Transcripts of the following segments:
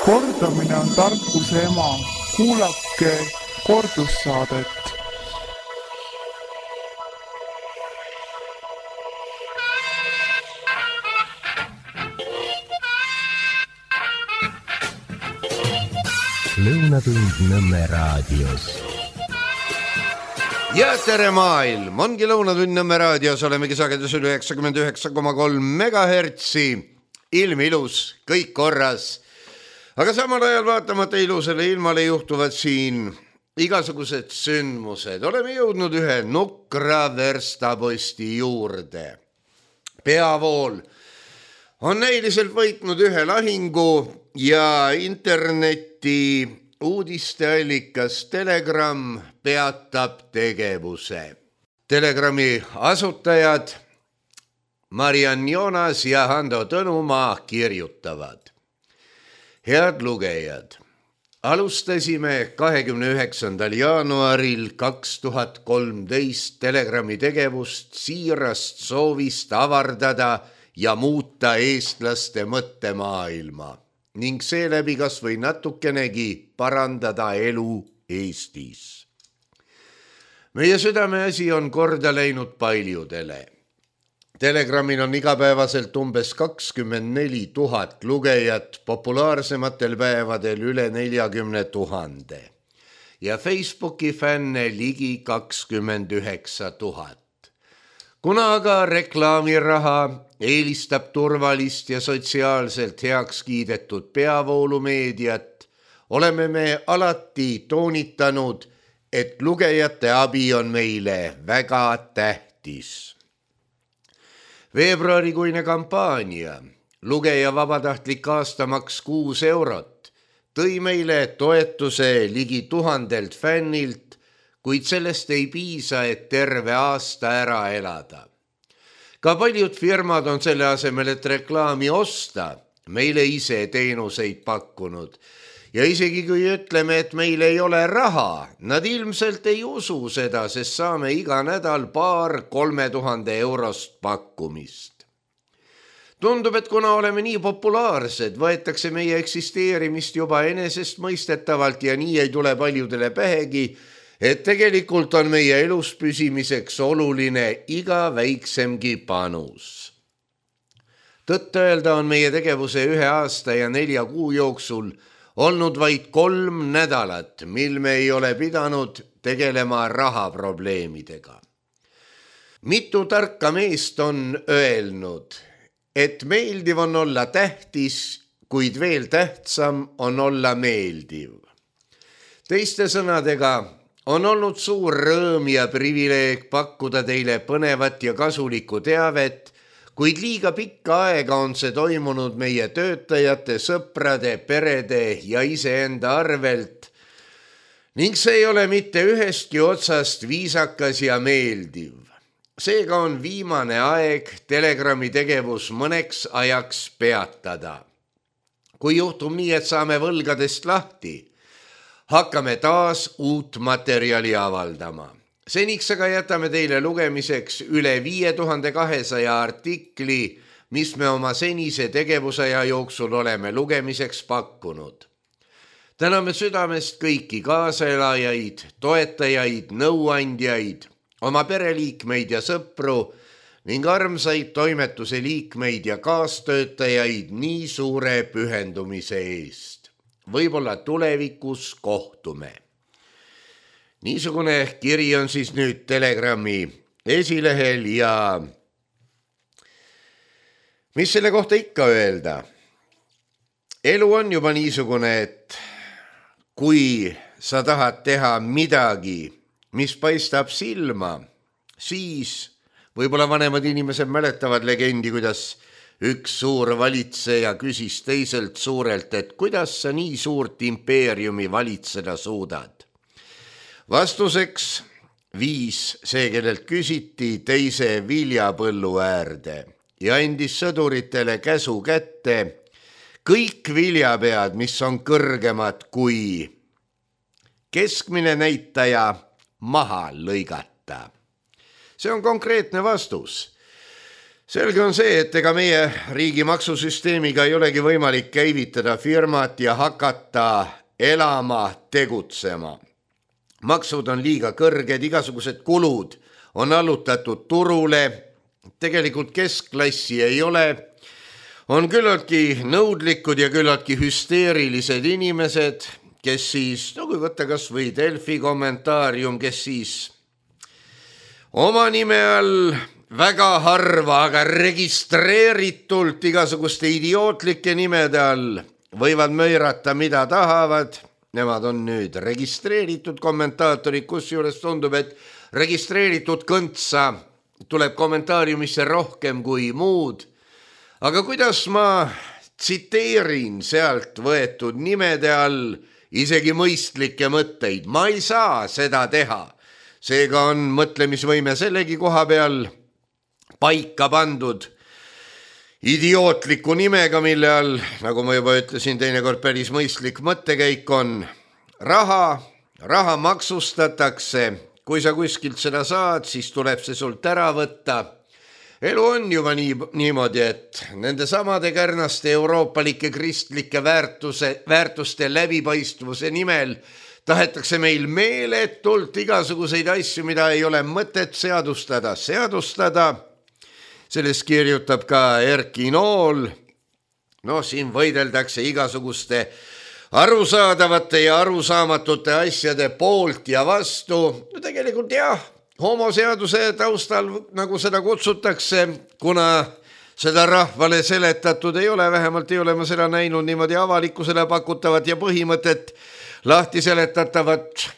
Kordamine on tarkuse ema. Kuulake kordussaadet. Lõunatund Nõmme raadios. Ja tere maailm! Ongi Lõunatund Nõmme raadios, olemegi sagedusel 99,3 megahertsi. Ilm ilus, kõik korras. Aga samal ajal vaatamata ilusale ilmale juhtuvad siin igasugused sündmused. Oleme jõudnud ühe nukra verstaposti juurde. Peavool on näiliselt võitnud ühe lahingu ja interneti uudisteallikas Telegram peatab tegevuse. Telegrami asutajad Mariann Joonas ja Hando Tõnumaa kirjutavad. Head lugejad, alustasime 29. jaanuaril 2013 Telegrami tegevust siirast soovist avardada ja muuta eestlaste mõttemaailma ning seeläbi kas või natukenegi parandada elu Eestis. Meie südameasi on korda läinud paljudele. Telegramil on igapäevaselt umbes 24 000 lugejat, populaarsematel päevadel üle 40 000 ja Facebooki fänne ligi 29 000. Kuna aga reklaamiraha eelistab turvalist ja sotsiaalselt heaks kiidetud peavoolumeediat, oleme me alati toonitanud, et lugejate abi on meile väga tähtis. Veebruarikuine kampaania, lugeja vabatahtlik aastamaks 6 eurot, tõi meile toetuse ligi 1000 fännilt, kuid sellest ei piisa, et terve aasta ära elada. Ka paljud firmad on selle asemel, et reklaami osta, meile ise teenuseid pakkunud. Ja isegi kui ütleme, et meil ei ole raha, nad ilmselt ei usu seda, sest saame iga nädal 2-3 000 eurost pakkumist. Tundub, et kuna oleme nii populaarsed, võetakse meie eksisteerimist juba enesestmõistetavalt ja nii ei tule paljudele pähegi, et tegelikult on meie elus püsimiseks oluline iga väiksemgi panus. Tõtt öelda on meie tegevuse 1 aasta ja 4 kuu jooksul olnud vaid 3 nädalat, mil me ei ole pidanud tegelema rahaprobleemidega. Mitu tarka meest on öelnud, et meeldiv on olla tähtis, kuid veel tähtsam on olla meeldiv. Teiste sõnadega, on olnud suur rõõm ja privileeg pakkuda teile põnevat ja kasulikku teavet, kuid liiga pikka aega on see toimunud meie töötajate, sõprade, perede ja iseenda arvelt ning see ei ole mitte ühestki otsast viisakas ja meeldiv. Seega on viimane aeg Telegrami tegevus mõneks ajaks peatada. Kui juhtub nii, et saame võlgadest lahti, hakkame taas uut materjali avaldama. Seniks aga jätame teile lugemiseks üle 5200 artikli, mis me oma senise tegevusaja jooksul oleme lugemiseks pakkunud. Täname südamest kõiki kaaselajaid, toetajaid, nõuandjaid, oma pereliikmeid ja sõpru ning armsaid toimetuse liikmeid ja kaastöötajaid nii suure pühendumise eest. Võib-olla tulevikus kohtume. Niisugune kiri on siis nüüd Telegrami esilehel ja mis selle kohta ikka öelda? Elu on juba niisugune, et kui sa tahad teha midagi, mis paistab silma, siis võib-olla vanemad inimesed mäletavad legendi, kuidas üks suur valitseja küsis teiselt suurelt, et kuidas sa nii suurt impeeriumi valitseda suudad. Vastuseks viis see, kellelt küsiti, teise viljapõllu äärde ja andis sõduritele käsu kätte kõik viljapead, mis on kõrgemad kui keskmine näitaja, maha lõigata. See on konkreetne vastus. Selge on see, et ega meie riigi maksusüsteemiga ei olegi võimalik käivitada firmat ja hakata elama, tegutsema. Maksud on liiga kõrged, igasugused kulud on allutatud turule, tegelikult keskklassi ei ole, on küllaltki nõudlikud ja küllaltki hüsteerilised inimesed, kes siis, kui võtta kas või Delfi kommentaarium, kes siis oma nime all väga harva, aga registreeritult igasuguste idiootlike nimede all võivad möirata, mida tahavad. Nemad on nüüd registreeritud kommentaatorid, kusjuures tundub, et registreeritud kõntsa tuleb kommentaariumisse rohkem kui muud. Aga kuidas ma tsiteerin sealt võetud nimede all isegi mõistlikke mõtteid? Ma ei saa seda teha. Seega on mõtlemisvõime sellegi koha peal paika pandud idiootliku nimega, mille all, nagu ma juba ütlesin, teinekord päris mõistlik mõttekäik on. Raha maksustatakse, kui sa kuskilt seda saad, siis tuleb see sult ära võtta. Elu on juba niimoodi, et nende samade kärnaste euroopalike kristlike väärtuste läbipaistvuse nimel tahetakse meil meeletult igasuguseid asju, mida ei ole mõtet seadustada. Sellest kirjutab ka Erki Nool. Siin võideldakse igasuguste arusaadavate ja arusaamatute asjade poolt ja vastu. Tegelikult jah, homoseaduse taustal, nagu seda kutsutakse, kuna seda rahvale seletatud ei ole, vähemalt ei ole ma seda näinud niimoodi avalikkusele pakutavat ja põhimõtet lahti seletatavat,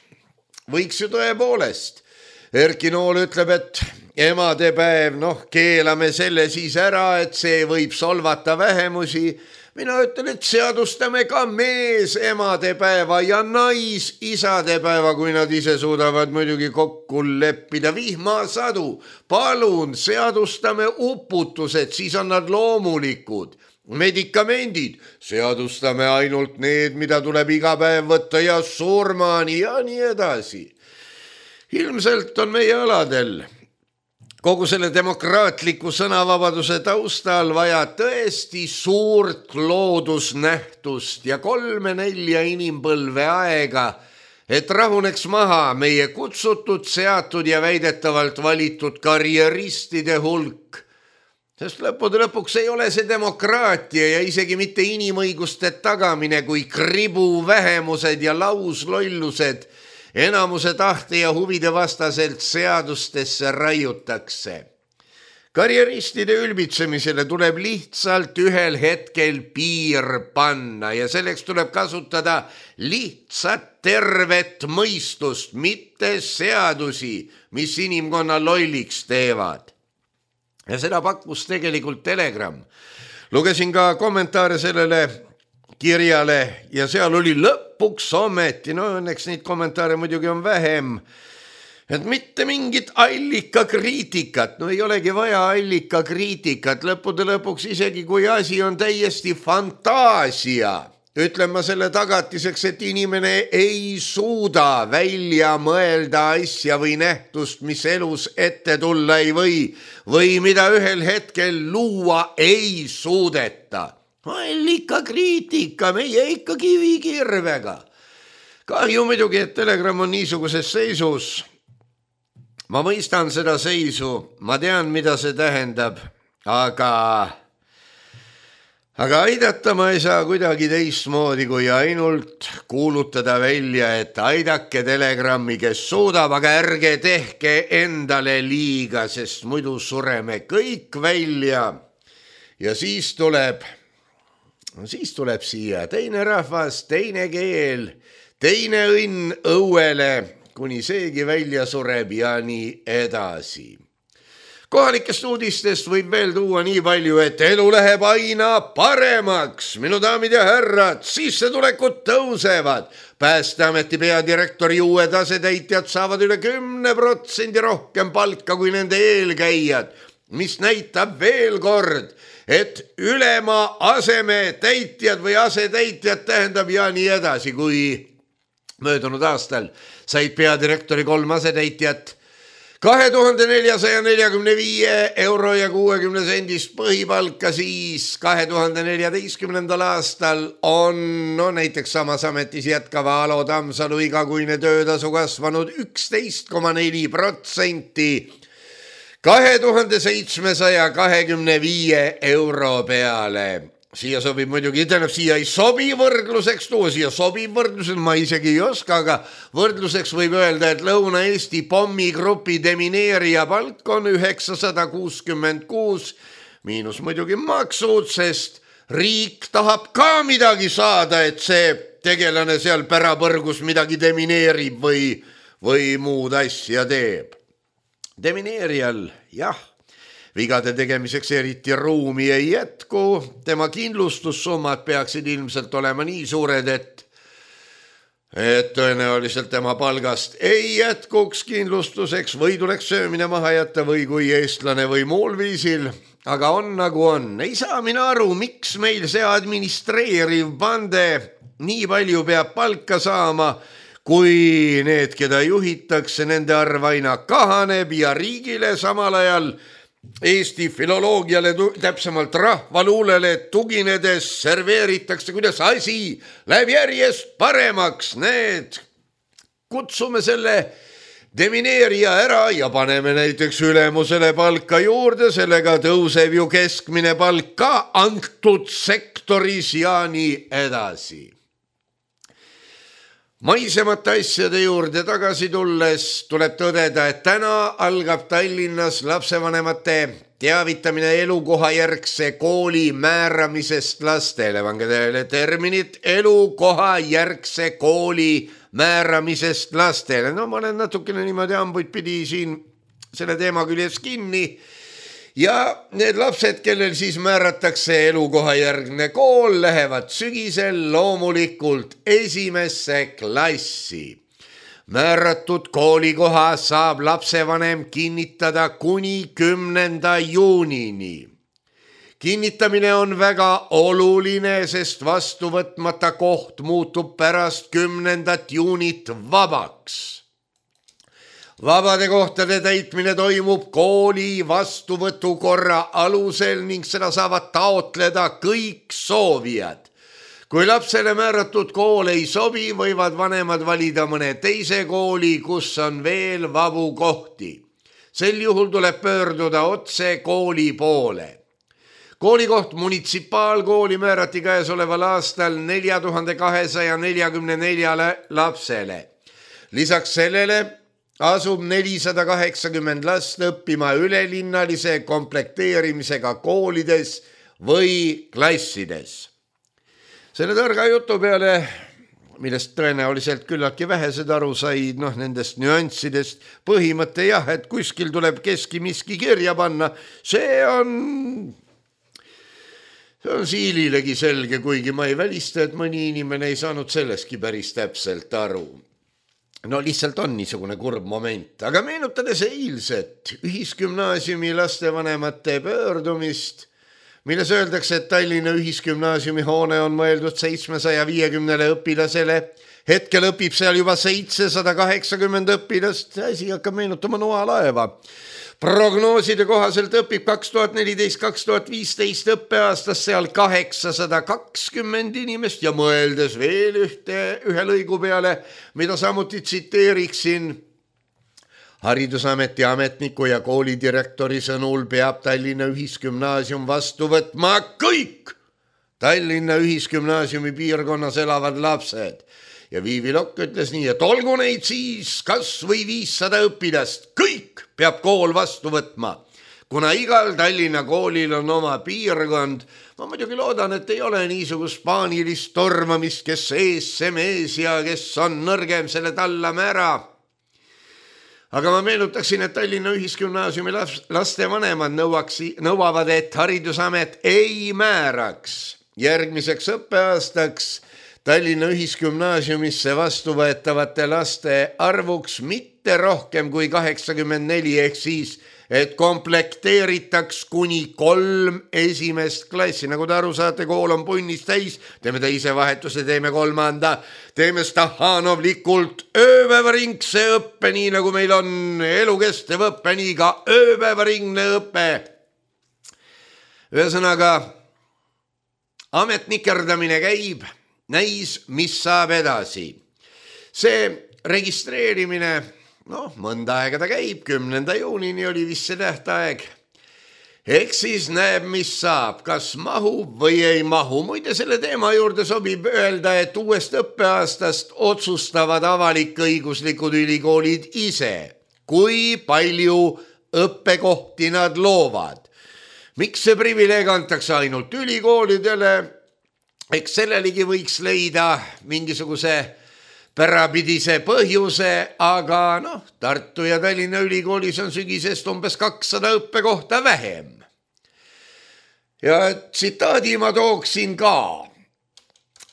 võiks ju tõepoolest. Erki Nool ütleb, et emadepäev, keelame selle siis ära, et see võib solvata vähemusi. Mina ütlen, et seadustame ka mees emadepäeva ja nais isadepäeva, kui nad ise suudavad muidugi kokku leppida. Vihmasadu, palun seadustame uputused, siis on nad loomulikud. Medikamendid, seadustame ainult need, mida tuleb iga päev võtta ja surmani ja nii edasi. Ilmselt on meie aladel kogu selle demokraatliku sõnavabaduse taustal vaja tõesti suurt loodusnähtust ja 3-4 inimpõlve aega, et rahuneks maha meie kutsutud, seatud ja väidetavalt valitud karjeristide hulk. Sest lõppude lõpuks ei ole see demokraatia ja isegi mitte inimõiguste tagamine, kui kribu vähemused ja lauslollused enamuse tahte ja huvide vastaselt seadustesse raiutakse. Karjeristide ülbitsemisele tuleb lihtsalt ühel hetkel piir panna ja selleks tuleb kasutada lihtsat tervet mõistust, mitte seadusi, mis inimkonna lolliks teevad. Ja seda pakkus tegelikult Telegram. Lugesin ka kommentaare sellele kirjale ja seal oli lõpuks ometi, õnneks neid kommentaare muidugi on vähem, et mitte mingit allikakriitikat, ei olegi vaja allikakriitikat, lõppude lõpuks isegi kui asi on täiesti fantaasia. Ütlen ma selle tagatiseks, et inimene ei suuda välja mõelda asja või nähtust, mis elus ette tulla ei või mida ühel hetkel luua ei suudeta. Allikakriitika, meie ikka kivikirvega. Kahju muidugi, et Telegram on niisuguses seisus. Ma mõistan seda seisu, ma tean, mida see tähendab, aga aidata ma ei saa kuidagi teistmoodi, kui ainult kuulutada välja, et aidake Telegrami, kes suudab, aga ärge tehke endale liiga, sest muidu sureme kõik välja. Ja siis tuleb siia teine rahvas, teine keel, teine õnn õuele, kuni seegi välja sureb ja nii edasi. Kohalikest uudistest võib veel tuua nii palju, et elu läheb aina paremaks. Minu daamid ja härrad, sissetulekud tõusevad. Päästeameti peadirektori uued asetäitjad saavad üle 10% rohkem palka kui nende eelkäijad, mis näitab veel kord, et ülema asetäitjad või asetäitjad tähendab ja nii edasi, kui möödunud aastal said peadirektori 3 asetäitjat, 2445 euro ja 60 sendist põhipalka siis 2014. aastal on näiteks samas ametis jätkava Alo Tammsalu igakuine töötasu kasvanud 11,4% 2725 euro peale. Siia sobib muidugi, siia ei sobi võrdluseks tuua, siia sobib võrdluseks, ma isegi ei oska, aga võrdluseks võib öelda, et Lõuna-Eesti pommigrupi demineerija palk on 966, miinus muidugi maksud, sest riik tahab ka midagi saada, et see tegelane seal pärapõrgus midagi demineerib või muud asja teeb. Demineerijal, jah, vigade tegemiseks eriti ruumi ei jätku, tema kindlustussummad peaksid ilmselt olema nii suured, et tõenäoliselt tema palgast ei jätkuks kindlustuseks või tuleks söömine maha jätta või kui eestlane või muul viisil, aga on nagu on. Ei saa mina aru, miks meil see administreeriv bande nii palju peab palka saama, kui need, keda juhitakse, nende arv aina kahaneb ja riigile samal ajal Eesti filoloogiale, täpsemalt rahvaluulele tuginedes serveeritakse, kuidas asi läheb järjest paremaks. Need kutsume selle demineerija ära ja paneme näiteks ülemusele palka juurde, sellega tõuseb ju keskmine palk ka antud sektoris ja nii edasi. Maisemate asjade juurde tagasi tulles tuleb tõdeda, et täna algab Tallinnas lapsevanemate teavitamine elukohajärgse kooli määramisest lastele. Pange tähele terminit elukohajärgse kooli määramisest lastele. No ma olen natukene niimoodi hambuid pidi siin selle teema küljes kinni. Ja need lapsed, kellel siis määratakse elukohajärgne kool, lähevad sügisel loomulikult esimesse klassi. Määratud koolikoha saab lapsevanem kinnitada kuni 10. juunini. Kinnitamine on väga oluline, sest vastu võtmata koht muutub pärast 10. juunit vabaks. Vabade kohtade täitmine toimub kooli vastuvõtukorra alusel ning seda saavad taotleda kõik soovijad. Kui lapsele määratud kool ei sobi, võivad vanemad valida mõne teise kooli, kus on veel vabu kohti. Sel juhul tuleb pöörduda otse kooli poole. Koolikoht munitsipaalkooli määrati käesoleval aastal 4244 lapsele. Lisaks sellele asub 480 last õppima ülelinnalise komplekteerimisega koolides või klassides. Selle targa jutu peale, millest tõenäoliselt küllaltki vähesed aru said, nendest nüanssidest, põhimõte jah, et kuskil tuleb keski miski kirja panna, see on siililegi selge, kuigi ma ei välista, et mõni inimene ei saanud selleski päris täpselt aru. No lihtsalt on niisugune kurb moment, aga meenutades eilset ühisgümnaasiumi lastevanemate pöördumist, milles öeldakse, et Tallinna ühisgümnaasiumi hoone on mõeldud 750 õpilasele, hetkel õpib seal juba 780 õpilast, asi hakkab meenutama noalaeva. Prognooside kohaselt õpib 2014-2015 õppeaastas seal 820 inimest ja mõeldes veel ühe lõigu peale, mida samuti tsiteeriksin, Haridusameti ametniku ja koolidirektori sõnul peab Tallinna ühisgümnaasium vastu võtma kõik Tallinna ühisgümnaasiumi piirkonnas elavad lapsed. Ja Viivi Lokk ütles nii, et olgu neid siis kas või 500 õpilast, kõik peab kool vastu võtma, kuna igal Tallinna koolil on oma piirkond. Ma muidugi loodan, et ei ole niisugust paanilist tormamist, kes ees see mees ja kes on nõrgem, selle tallame ära. Aga ma meenutaksin, et Tallinna ühisgümnaasiumi lastevanemad nõuavad, et Haridusamet ei määraks järgmiseks õppeaastaks Tallinna ühisgümnaasiumisse vastuvõetavate laste arvuks mitte rohkem kui 84 ehk siis et komplekteeritaks kuni 3 esimest klassi. Nagu te aru saate, kool on punnis täis, teeme teise vahetuse, teeme 3. Teeme stahanovlikult ööpäevaringse õppe, nii nagu meil on elukestev õppe, nii ka ööpäevaringne õpe. Ühesõnaga, ametnikerdamine käib, näis, mis saab edasi. See registreerimine, mõnda aega ta käib, 10. juunini oli vist see tähtaeg. Eks siis näeb, mis saab, kas mahub või ei mahu. Muide, selle teema juurde sobib öelda, et uuest õppeaastast otsustavad avalik-õiguslikud ülikoolid ise, kui palju õppekohti nad loovad. Miks see privileeg antakse ainult ülikoolidele? Eks sellelegi võiks leida mingisuguse pärapidise põhjuse, aga Tartu ja Tallinna ülikoolis on sügisest umbes 200 õppekohta vähem. Ja tsitaadi ma tooksin ka.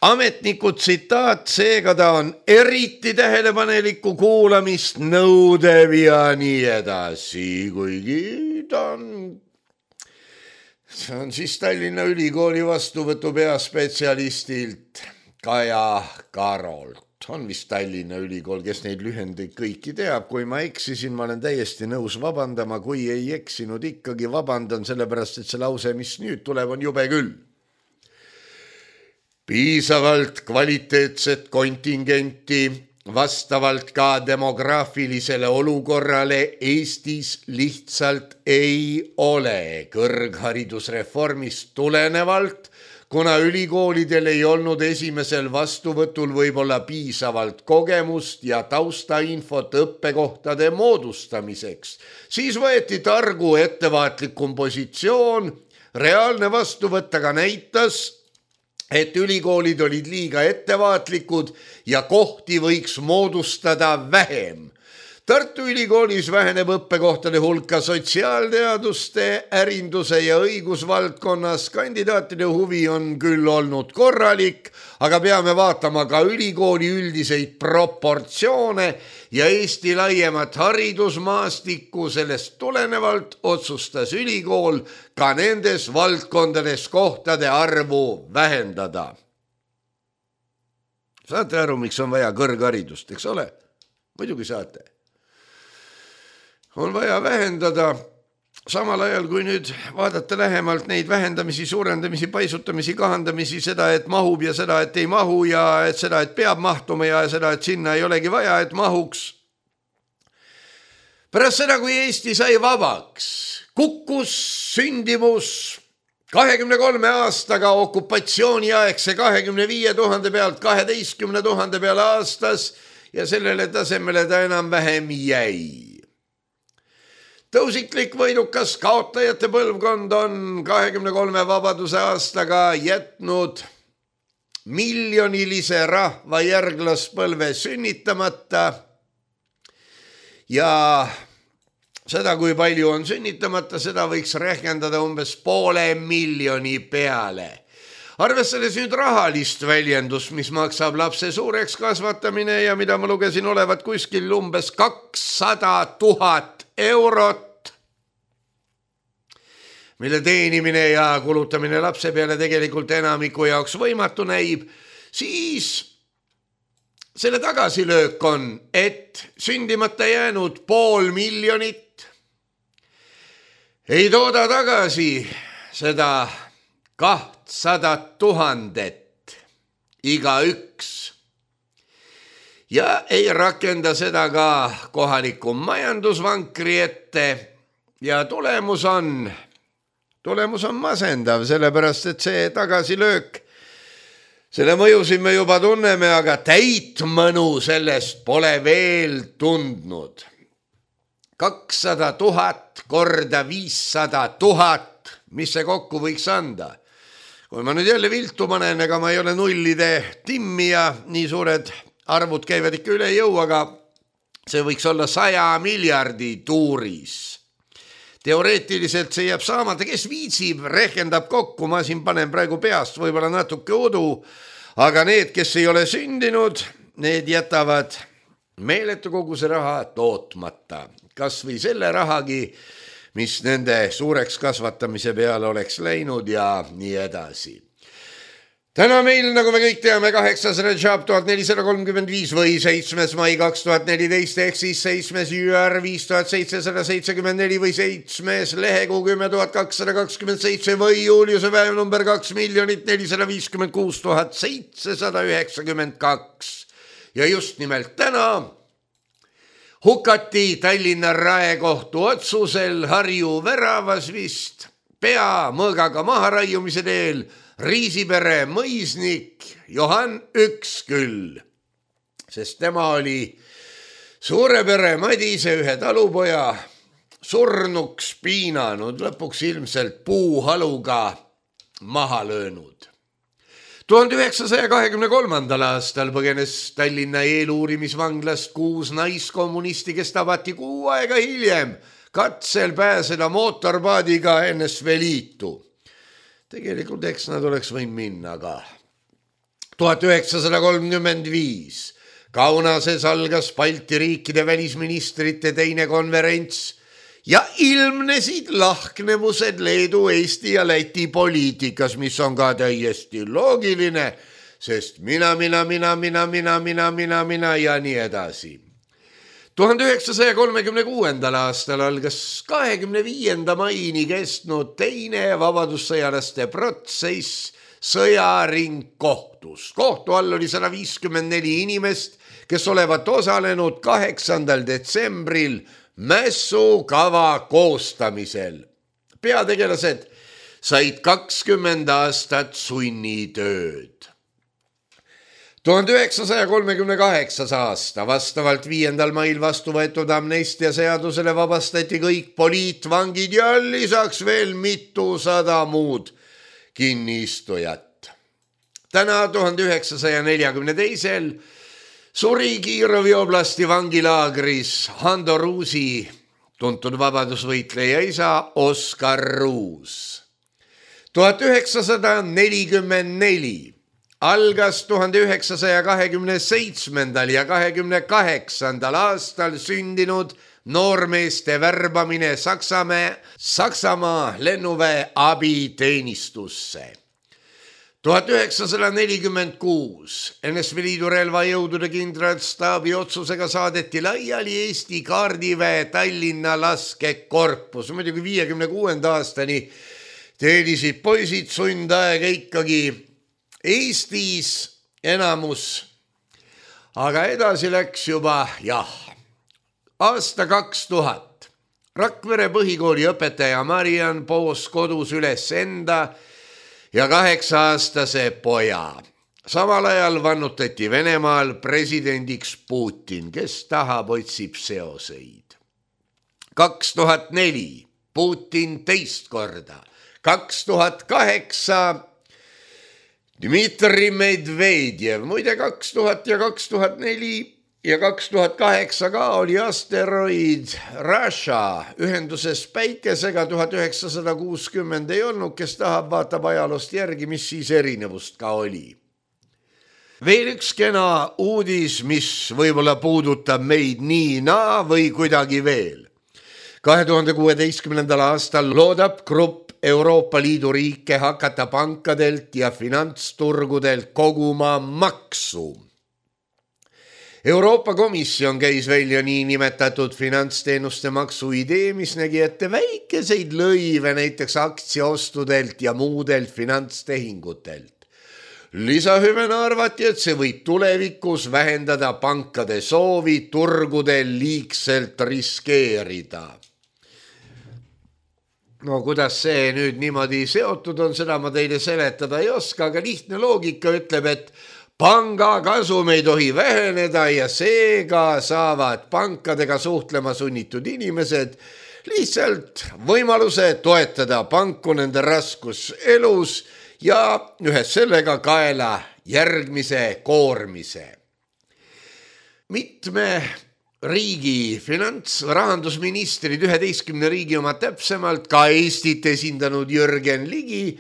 Ametniku tsitaat, seega ta on eriti tähelepaneliku kuulamist nõudev ja nii edasi, kuigi see on siis Tallinna ülikooli vastuvõtu peaspetsialistilt Kaja Karolt. On vist Tallinna ülikool, kes neid lühendeid kõiki teab. Kui ma eksisin, ma olen täiesti nõus vabandama. Kui ei eksinud, ikkagi vabandan, sellepärast, et see lause, mis nüüd tuleb, on jube küll. Piisavalt kvaliteetset kontingenti vastavalt ka demograafilisele olukorrale Eestis lihtsalt ei ole. Kõrgharidusreformist tulenevalt, kuna ülikoolidel ei olnud esimesel vastuvõtul võib-olla piisavalt kogemust ja taustainfot õppekohtade moodustamiseks, siis võeti targu ettevaatlikum positsioon. Reaalne vastuvõtt aga näitas, et ülikoolid olid liiga ettevaatlikud ja kohti võiks moodustada vähem. Tartu ülikoolis väheneb õppekohtade hulka sotsiaalteaduste, ärinduse ja õigusvaldkonnas. Kandidaatide huvi on küll olnud korralik, aga peame vaatama ka ülikooli üldiseid proportsioone ja Eesti laiemat haridusmaastikku. Sellest tulenevalt otsustas ülikool ka nendes valdkondades kohtade arvu vähendada. Saate aru, miks on vaja kõrgharidust, eks ole? Muidugi saate. On vaja vähendada, samal ajal kui nüüd vaadata lähemalt neid vähendamisi, suurendamisi, paisutamisi, kahandamisi, seda, et mahub ja seda, et ei mahu ja et seda, et peab mahtuma ja seda, et sinna ei olegi vaja, et mahuks. Pärast seda, kui Eesti sai vabaks, kukkus sündimus 23 aastaga okupatsiooniaegse 25 000 pealt 12 000 peale aastas ja sellele tasemele ta enam-vähem jäi. Tõusiklik võidukas kaotajate põlvkond on 23 vabaduse aastaga jätnud miljonilise rahva järglaspõlve sünnitamata ja seda, kui palju on sünnitamata, seda võiks rehkendada umbes 500,000 peale. Arvestades nüüd rahalist väljendust, mis maksab lapse suureks kasvatamine ja mida ma lugesin olevat kuskil umbes 200 000 eurot, mille teenimine ja kulutamine lapse peale tegelikult enamiku jaoks võimatu näib, siis selle tagasilöök on, et sündimata jäänud 500,000 ei tooda tagasi seda 200 000 igaüks ja ei rakenda seda ka kohaliku majandusvankri ette ja tulemus on masendav, sellepärast et see tagasilöök, selle mõjusid me juba tunneme, aga täit mõnu sellest pole veel tundnud. 200 000 korda 500 000, mis see kokku võiks anda? Kui ma nüüd jälle viltu panen, ega ma ei ole nullide timmija, nii suured arvud käivad ikka üle jõu, aga see võiks olla 100 miljardi tuuris. Teoreetiliselt see jääb saamata, kes viitsib, rehkendab kokku, ma siin panen praegu peast võib-olla natuke udu, aga need, kes ei ole sündinud, need jätavad meeletu koguse raha tootmata. Kas või selle rahagi, mis nende suureks kasvatamise peale oleks läinud ja nii edasi. Täna meil, nagu me kõik teame, 8. Rajab 1435 või 7. mai 2014 ehk siis 7. jüär 5774 või 7. lehekuu 10227 või Juliuse päev number 2 756 ja just nimelt täna hukati Tallinna Raekohtu otsusel Harju väravas vist pea mõõgaga maharaiumise teel Riisipere mõisnik Johan Üksküll, sest tema oli suure pere Madise ühe talupoja surnuks piinanud, lõpuks ilmselt puuhaluga maha löönud. 1923. aastal põgenes Tallinna eeluurimisvanglast 6 naiskommunisti, kes tabati 6 aega hiljem katsel pääseda mootorpaadiga NSV Liitu. Tegelikult eks nad oleks võinud minna ka. 1935 Kaunases algas Balti riikide välisministrite teine konverents ja ilmnesid lahknevused Leedu, Eesti ja Läti poliitikas, mis on ka täiesti loogiline, sest mina ja nii edasi. 1936. aastal algas 25. maini kestnud teine vabadussõjalaste protsess sõjaringkohtus. Kohtu all oli 154 inimest, kes olevat osalenud 8. detsembril mässukava koostamisel. Peategelased said 20 aastat sunnitööd. 1938. aasta vastavalt 5. mail vastu võetud amnestia seadusele vabastati kõik poliitvangid ja lisaks veel mitusada muud kinniistujat. Täna 1942. suri Kirovi oblasti vangilaagris Hando Ruusi tuntud vabadusvõitleja isa Oskar Ruus. 1944 algas 1927. ja 28. aastal sündinud noormeeste värbamine Saksamaa lennuväe abiteenistusse. 1946 NSV Liidu relvajõudude kindralstaabi otsusega saadeti laiali Eesti kaardiväe Tallinna laskekorpus. Muidugi 56. aastani teenisid poisid sundaega ikkagi Eestis enamus, aga edasi läks juba aasta 2000. Rakvere põhikooli õpetaja Mariann poos kodus üles enda ja 8-aastase poja. Samal ajal vannutati Venemaal presidendiks Putin, kes tahab, otsib seoseid. 2004 Putin teist korda, 2008 Dmitri Medvedjev, muide 2000 ja 2004 ja 2008 ka oli asteroid Rasha ühenduses päikesega, 1960 ei olnud, kes tahab, vaatab ajaloost järgi, mis siis erinevust ka oli. Veel üks kena uudis, mis võib-olla puudutab meid nii või kuidagi veel. 2016. aastal loodab grupp Euroopa Liidu riike hakata pankadelt ja finantsturgudelt koguma maksu. Euroopa Komisjon käis välja niinimetatud finantsteenuste maksu idee, mis nägi ette väikeseid lõive näiteks aktsiaostudelt ja muudelt finantstehingutelt. Lisahüvena arvati, et see võib tulevikus vähendada pankade soovi turgudel liigselt riskeerida. No kuidas see nüüd niimoodi seotud on, seda ma teile seletada ei oska, aga lihtne loogika ütleb, et panga kasum ei tohi väheneda ja seega saavad pankadega suhtlema sunnitud inimesed lihtsalt võimaluse toetada panku nende raskuselus ja ühes sellega kaela järgmise koormise. Mitme riigi rahandusministrid, 11 riigi oma täpsemalt, ka Eestit esindanud Jürgen Ligi,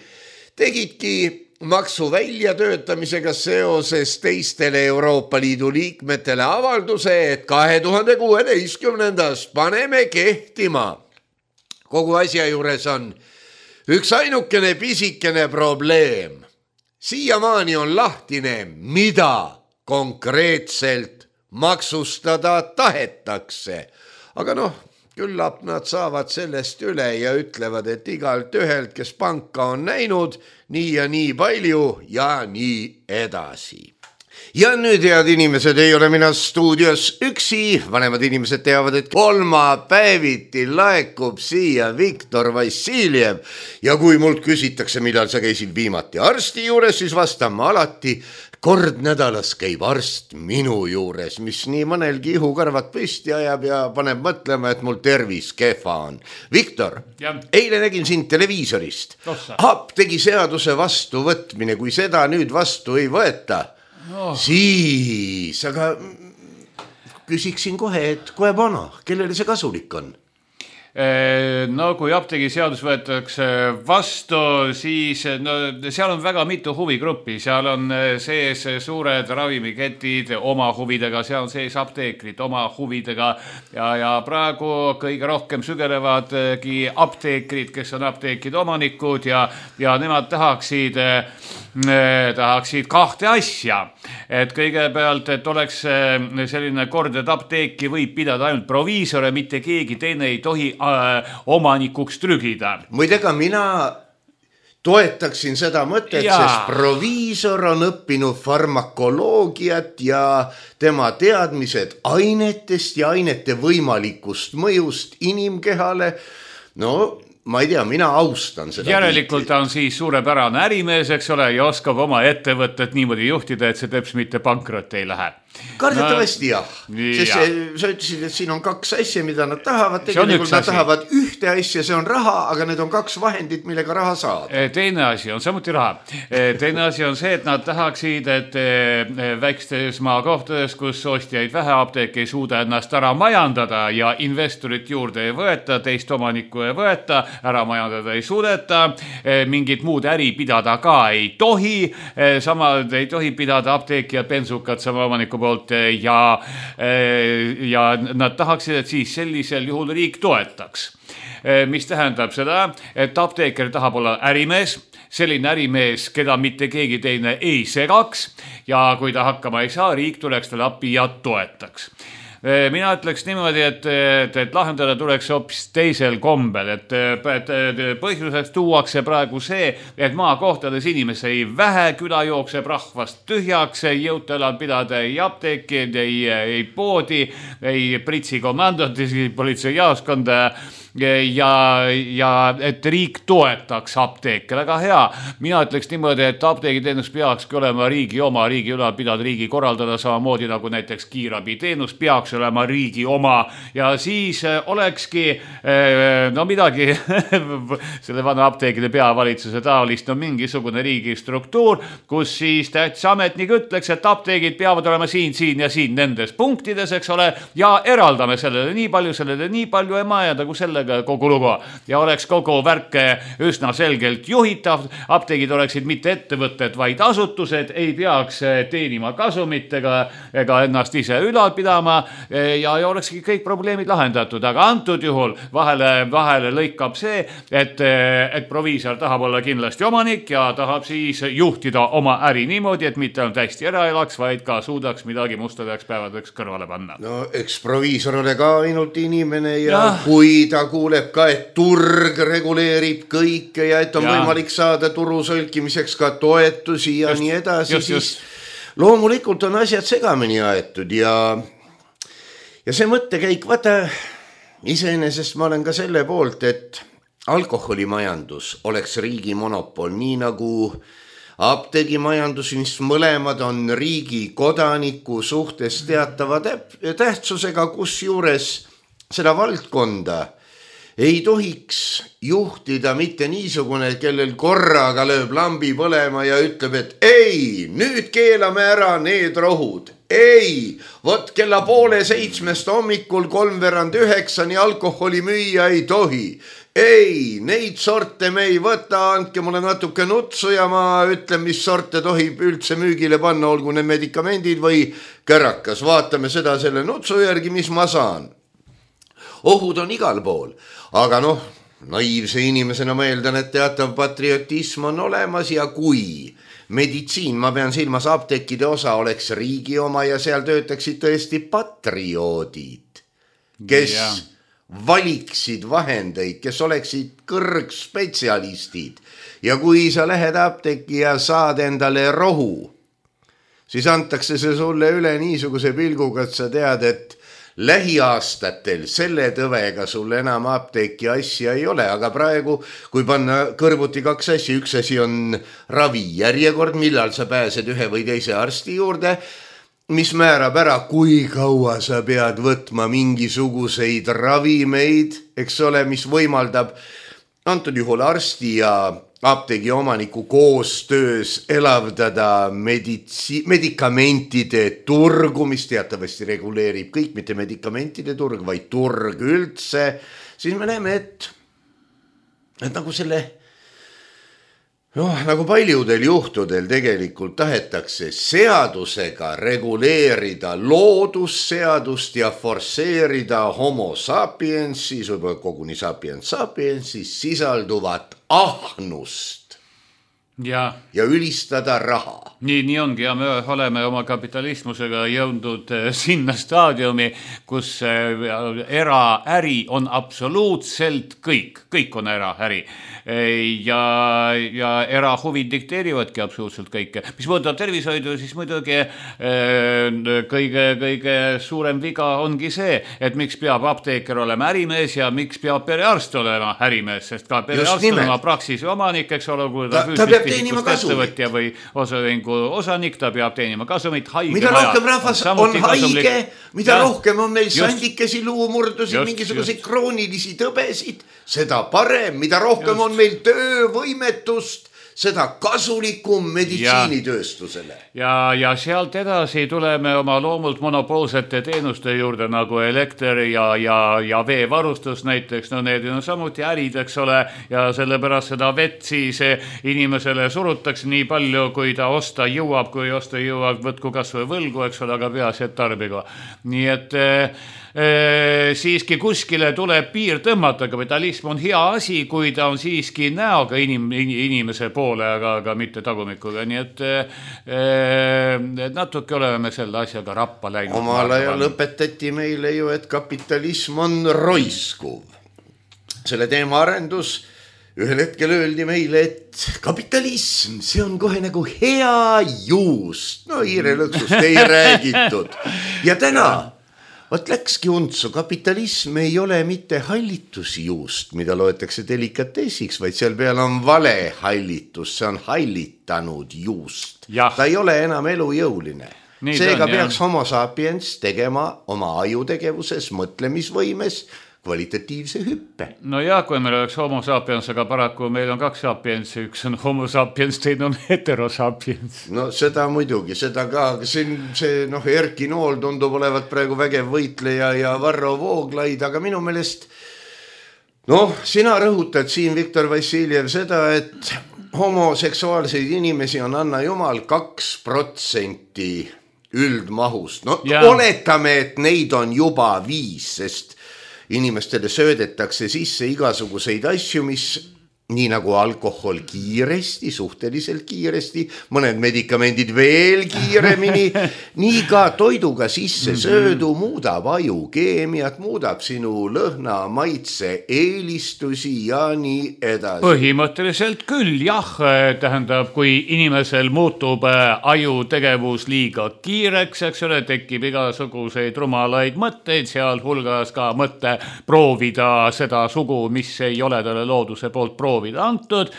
tegidki maksu väljatöötamisega seoses teistele Euroopa Liidu liikmetele avalduse, et 2016. paneme kehtima kogu asja juures on üks ainukene pisikene probleem. Siiamaani on lahtine, mida konkreetselt maksustada tahetakse. Aga noh, küllap nad saavad sellest üle ja ütlevad, et igalt ühelt, kes panka on näinud, nii ja nii palju ja nii edasi. Ja nüüd, head inimesed, ei ole mina stuudios üksi. Vanemad inimesed teavad, et kolmapäeviti laekub siia Viktor Vassiljev. Ja kui mult küsitakse, millal sa käisid viimati arsti juures, siis vastan ma alati, kord nädalas käib arst minu juures, mis nii mõnelgi ihukarvad püsti ajab ja paneb mõtlema, et mul tervis kehva on. Viktor, eile nägin sind televiisorist. Apteegi seaduse vastuvõtmine, kui seda nüüd vastu ei võeta, siis, aga küsiksin kohe, et kohe pana, kellele see kasulik on? No kui apteegi seadus võetakse vastu, siis seal on väga mitu huvigruppi, seal on sees suured ravimiketid oma huvidega, seal on sees apteekrid oma huvidega ja praegu kõige rohkem sügelevadki apteekrid, kes on apteekide omanikud ja nemad tahaksid kahte asja, et kõigepealt, et oleks selline kord, et apteeki võib pidada ainult proviisore, mitte keegi teine ei tohi omanikuks trügida. Muidega mina toetaksin seda mõtet, sest proviisor on õppinud farmakoloogiat ja tema teadmised ainetest ja ainete võimalikust mõjust inimkehale, no ma ei tea, mina austan seda. Järelikult ta on siis suurepärane ärimees, eks ole, ja oskab oma ettevõtet niimoodi juhtida, et see teps mitte pankrot ei lähe. Kardetavasti jah, sest sa ütlesid, et siin on kaks asja, mida nad tahavad, tegelikult nad tahavad ühte asja, see on raha, aga need on kaks vahendit, millega raha saad. Teine asi on samuti raha. Teine asi on see, et nad tahaksid, et väikstes maakohtades, kus ostjaid vähe, apteek ei suuda ennast ära majandada ja investorit juurde ei võeta, teist omanikku ei võeta, ära majandada ei suudeta, mingit muud äri pidada ka ei tohi, sama ei tohi pidada apteeki ja bensukat sama omaniku poolt ja nad tahaksid, et siis sellisel juhul riik toetaks. Mis tähendab seda, et apteeker tahab olla ärimees, selline ärimees, keda mitte keegi teine ei segaks ja kui ta hakkama ei saa, riik tuleks talle appi ja toetaks. Mina ütleks niimoodi, et lahendada tuleks hoopis teisel kombel, et põhjuseks tuuakse praegu see, et maakohtades inimesi vähe, küla jookseb rahvast tühjaks, ei jõuta elal pidada ei apteeki, ei poodi, ei pritsi komandot, politsei jaoskonda ja et riik toetaks apteeke, väga hea. Mina ütleks niimoodi, et apteegiteenus peakski olema riigi oma, riigi ülal pidada, riigi korraldada samamoodi nagu näiteks kiirabiteenus peaks olema riigi oma ja siis olekski no midagi selle vana apteegide peavalitsuse taolist on mingisugune riigi struktuur, kus siis tähtis ametnik ütleks, et apteegid peavad olema siin ja siin nendes punktides, eks ole, ja eraldame sellele nii palju ja majada kui selle kogu lugu ja oleks kogu värk üsna selgelt juhitav, apteegid oleksid mitte ettevõtted, vaid asutused, ei peaks teenima kasumit ega ennast ise ülal pidama ja olekski kõik probleemid lahendatud, aga antud juhul vahele lõikab see, et proviisor tahab olla kindlasti omanik ja tahab siis juhtida oma äri niimoodi, et mitte ainult hästi ära elaks, vaid ka suudaks midagi mustadeks päevadeks kõrvale panna. No eks proviisor ole ka ainult inimene ja kui ta kuuleb ka, et turg reguleerib kõike ja et on võimalik saada turu sõlkimiseks ka toetusi ja nii edasi, siis loomulikult on asjad segamini aetud ja see mõttekäik, vaata, iseenesest ma olen ka selle poolt, et alkoholimajandus oleks riigi monopol, nii nagu apteegimajandus, mis mõlemad on riigi kodaniku suhtes teatava tähtsusega, kus juures seda valdkonda ei tohiks juhtida mitte niisugune, kellel korraga lööb lambi põlema ja ütleb, et ei, nüüd keelame ära need rohud. Ei, vot kella 6:30 hommikul 8:45 alkoholi müüa ei tohi. Ei, neid sorte me ei võta, andke mulle natuke nutsu ja ma ütlen, mis sorte tohib üldse müügile panna, olgu need medikamendid või kärakas. Vaatame seda selle nutsu järgi, mis ma saan. Ohud on igal pool, aga noh, naiivse inimesena ma eeldan, et teatav patriotism on olemas ja kui meditsiin, ma pean silmas apteekide osa, oleks riigi oma ja seal töötaksid tõesti patrioodid, kes valiksid vahendeid, kes oleksid kõrgspetsialistid ja kui sa lähed apteeki ja saad endale rohu, siis antakse see sulle üle niisuguse pilguga, et sa tead, et lähiaastatel selle tõvega sul enam apteeki asja ei ole, aga praegu, kui panna kõrvuti kaks asja, üks asi on ravijärjekord, millal sa pääsed ühe või teise arsti juurde, mis määrab ära, kui kaua sa pead võtma mingisuguseid ravimeid, eks ole, mis võimaldab antud juhul arsti ja apteegi omaniku koostöös elavdada medikamentide turgu, mis teatavasti reguleerib kõik, mitte medikamentide turg, vaid turg üldse, siis me näeme, et nagu selle, nagu paljudel juhtudel tegelikult tahetakse seadusega reguleerida loodusseadust ja forsseerida homo sapiensis, võib-olla koguni sapiensis sisalduvat ahnust ja ülistada raha. Nii ongi ja me oleme oma kapitalismusega jõudnud sinna staadiumi, kus eraäri on absoluutselt kõik on eraäri ja erahuvid dikteerivadki absoluutselt kõike. Mis puudutab tervishoidu, siis muidugi kõige suurem viga ongi see, et miks peab apteeker olema ärimees ja miks peab perearst olema ärimees, sest ka perearst on oma praksisi omanik, eks ole, kui ta peab teenima kasumit või osaühingu osanik, ta peab teenima kasumit. Mida rohkem rahvas on haige, mida rohkem on meil sandikesi, luumurdusid, mingisuguseid kroonilisi tõbesid, seda parem, mida rohkem on meil töövõimetust, seda kasulikum meditsiinitööstusele. Ja sealt edasi tuleme oma loomult monopoolsete teenuste juurde nagu elekter ja veevarustus näiteks. No need on samuti ärid, eks ole, ja sellepärast seda vett siis inimesele surutakse nii palju, kui ta osta jõuab, võtku kas või võlgu, eks ole, aga peaasi, et tarbigu. Nii et siiski kuskile tuleb piir tõmmata, kapitalism on hea asi, kui ta on siiski näoga inimese poole, aga mitte tagumikuga, nii et natuke oleme selle asjaga rappa läinud. Omal ajal õpetati meile ju, et kapitalism on roiskuv. Selle teema arendus ühel hetkel öeldi meile, et kapitalism, see on kohe nagu hea juust. No hiirelõksust ei räägitud. Ja täna Vot läkski untsu, kapitalism ei ole mitte hallitusjuust, mida loetakse delikatessiks, vaid seal peal on vale hallitus, see on hallitanud juust. Ta ei ole enam elujõuline. Seega peaks homo sapiens tegema oma ajutegevuses, mõtlemisvõimes kvalitatiivse hüppe. No ja, kui meil oleks homo sapiens, aga paraku meil on kaks sapiens, üks on homo sapiens, teine on heterosapiens. No seda muidugi, seda ka, see Erki Nool tundub olevat praegu vägev võitleja ja Varro Vooglaid, aga minu meelest, sina rõhutad siin, Viktor Vassiljev, seda, et homoseksuaalseid inimesi on Anna Jumal 2% üldmahust. Oletame, et neid on juba 5, sest inimestele söödetakse sisse igasuguseid asju, mis nii nagu alkohol kiiresti, suhteliselt kiiresti, mõned medikamendid veel kiiremini, nii ka toiduga sisse söödu muudab aju keemiat, muudab sinu lõhna, maitse, eelistusi ja nii edasi. Põhimõtteliselt küll, jah, tähendab, kui inimesel muutub aju tegevus liiga kiireks, eks ole, tekib igasuguseid rumalaid mõtteid, seal hulgas ka mõtte proovida seda sugu, mis ei ole talle looduse poolt proovida antud,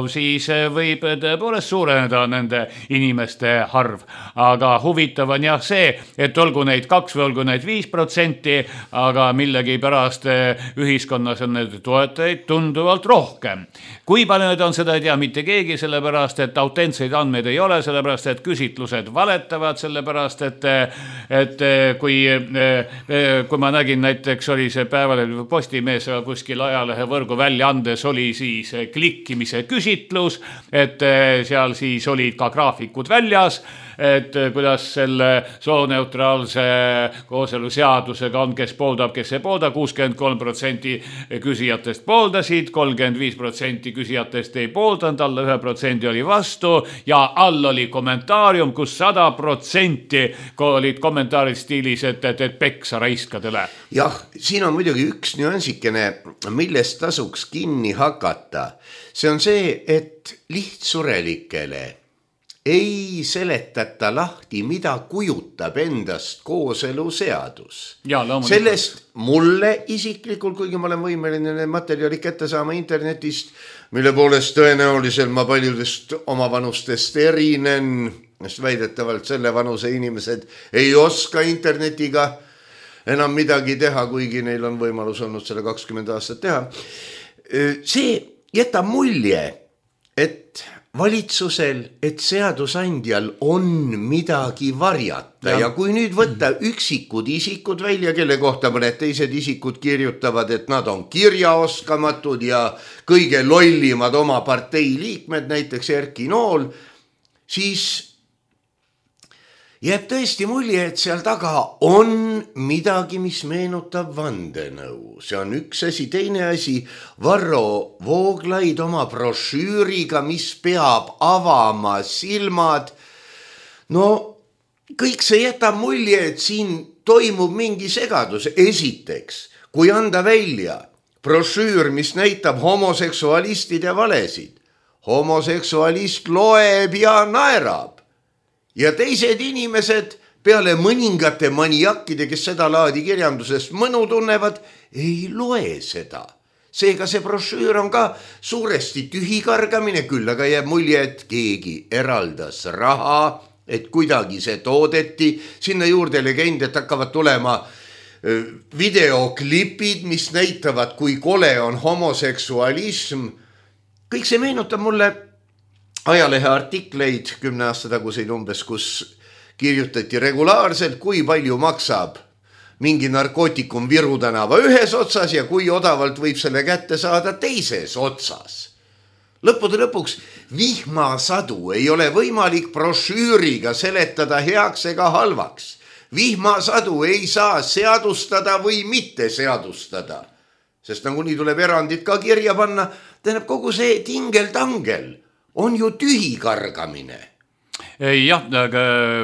siis võib tõepoolest suureneda nende inimeste arv. Aga huvitav on jah see, et olgu neid 2 või olgu neid 5%, aga millegi pärast ühiskonnas on need toetajaid tunduvalt rohkem. Kui palju need on, seda ei tea mitte keegi, sellepärast, et autentseid andmeid ei ole, sellepärast, et küsitlused valetavad, sellepärast, et kui ma nägin näiteks oli see Päevalehe Postimees kuskil ajalehe võrgu välja andes oli siis oli see klikkimise küsitlus, et seal siis olid ka graafikud väljas, et kuidas selle sooneutraalse kooseluseadusega on, kes pooldab, kes ei poolda, 63% küsijatest pooldasid, 35% küsijatest ei pooldanud, alla 1% oli vastu ja all oli kommentaarium, kus 100% olid kommentaarid stiilis, et peksa raiskadele. Jah, siin on muidugi üks nüansikene, millest tasuks kinni hakata. See on see, et lihtsurelikele ei seletata lahti, mida kujutab endast kooseluseadus. Sellest mulle isiklikult, kuigi ma olen võimeline materjali kätte saama internetist, mille poolest tõenäoliselt ma paljudest omavanustest erinen, sest väidetavalt selle vanuse inimesed ei oska internetiga enam midagi teha, kuigi neil on võimalus olnud selle 20 aastat teha. See jätab mulje, et valitsusel, et seadusandjal on midagi varjata ja kui nüüd võtta üksikud isikud välja, kelle kohta mõned teised isikud kirjutavad, et nad on kirjaoskamatud ja kõige lollimad oma partei liikmed, näiteks Erki Nool, siis jääb tõesti mulje, et seal taga on midagi, mis meenutab vandenõu. See on üks asi, teine asi, Varro Vooglaid oma brošüüriga, mis peab avama silmad. No kõik see jätab mulje, et siin toimub mingi segadus. Esiteks, kui anda välja brošüür, mis näitab homoseksualistide valesid, homoseksualist loeb ja naerab. Ja teised inimesed peale mõningate maniakkide, kes seda laadi kirjandusest mõnu tunnevad, ei loe seda. Seega see brošüür on ka suuresti tühikargamine, küll aga jääb mulje, et keegi eraldas raha, et kuidagi see toodeti. Sinna juurde legend, et hakkavad tulema videoklipid, mis näitavad, kui kole on homoseksualism. Kõik see meenutab mulle ajalehe artikleid 10 aasta taguseid umbes, kus kirjutati regulaarselt, kui palju maksab mingi narkootikum Viru tänava ühes otsas ja kui odavalt võib selle kätte saada teises otsas. Lõppude lõpuks vihmasadu ei ole võimalik brošüüriga seletada heaks ega halvaks. Vihmasadu ei saa seadustada või mitte seadustada, sest nagunii tuleb erandid ka kirja panna. Tähendab, kogu see tingeltangel on ju tühikargamine. Jah, aga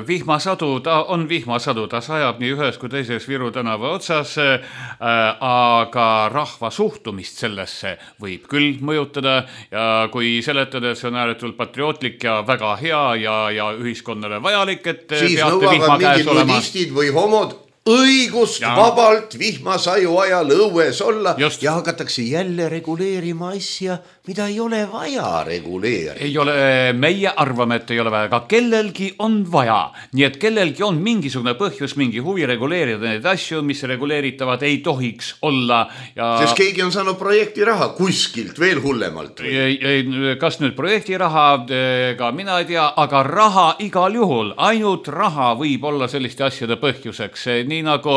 vihmasadu, ta on vihmasadu, ta sajab nii ühes kui teises Viru tänava otsas, aga rahva suhtumist sellesse võib küll mõjutada ja kui seletada, et see on ääretult patriootlik ja väga hea ja ühiskonnale vajalik, et siis nõuavad mingid nudistid või homod õigust vabalt vihmasaju ajal õues olla. Just. Ja hakatakse jälle reguleerima asja, mida ei ole vaja reguleerida. Ei ole, meie arvame, et ei ole vaja, aga kellelgi on vaja. Nii et kellelgi on mingisugune põhjus, mingi huvi reguleerida neid asju, mis reguleeritavad ei tohiks olla. Ja sest keegi on saanud projekti raha kuskilt veel hullemalt. Kas nüüd projekti raha, ka mina ei tea, aga raha igal juhul, ainult raha võib olla selliste asjade põhjuseks. Nii nagu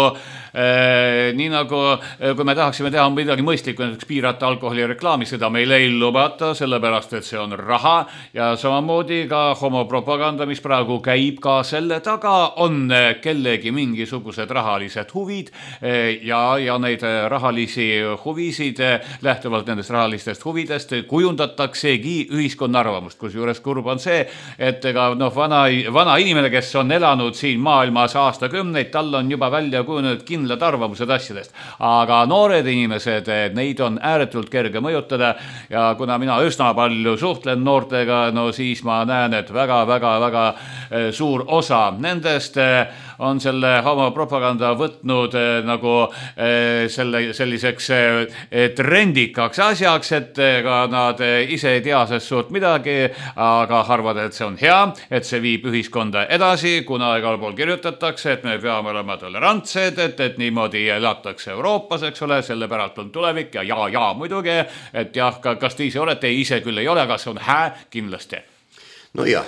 kui me tahaksime teha midagi mõistlikku, näiteks piirata alkoholi reklaami, seda meil ei lubata, sellepärast, et see on raha ja samamoodi ka homopropaganda, mis praegu käib ka selle taga, on kellegi mingisugused rahalised huvid ja neid rahalisi huvisid lähtuvalt nendest rahalistest huvidest kujundataksegi ühiskonna arvamust, kusjuures kurb on see, et vana inimene, kes on elanud siin maailmas aastakümneid, tal on juba välja kujunenud kindlad arvamused asjadest, aga noored inimesed, neid on ääretult kerge mõjutada ja kuna mina üsna palju suhtlen noortega, no siis ma näen, et väga suur osa nendest on selle homopropaganda võtnud nagu selliseks trendikaks asjaks, et ka nad ise ei tea sest suurt midagi, aga arvad, et see on hea, et see viib ühiskonda edasi, kuna igal pool kirjutatakse, et me peame olema tolerantsed, et niimoodi elatakse Euroopas, eks ole, selle päralt on tulevik ja muidugi, et jah, kas te ise olete, ise küll ei ole, aga see on kindlasti. No jah.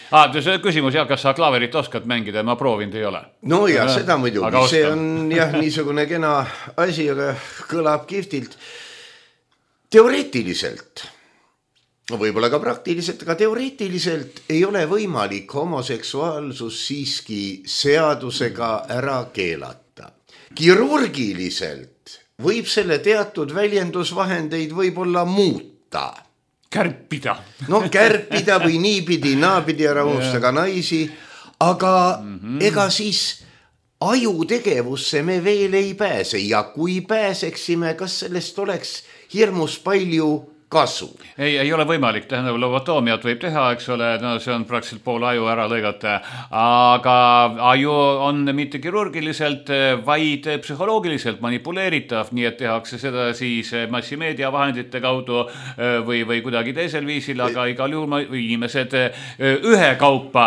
See küsimus, kas sa klaverit oskad mängida, ma proovinud ei ole. No ja seda muidugi, see on jah niisugune kena asi, aga kõlab kihvtilt. teoreetiliselt, võib-olla ka praktiliselt, aga teoreetiliselt ei ole võimalik homoseksuaalsus siiski seadusega ära keelata. Kirurgiliselt võib selle teatud väljendusvahendeid võib-olla muuta. Kärpida. No kärpida või niipidi, naapidi ära unustada naisi, aga ega siis ajutegevusse me veel ei pääse ja kui pääseksime, kas sellest oleks hirmus palju kasu? Ei ole võimalik, tähendab, lobotoomiat võib teha, eks ole, no see on praktiliselt pool aju ära lõigata, aga aju on mitte kirurgiliselt, vaid psühholoogiliselt manipuleeritav, nii et tehakse seda siis massimeedia vahendite kaudu või kuidagi teisel viisil, aga igal juhul inimesed ühekaupa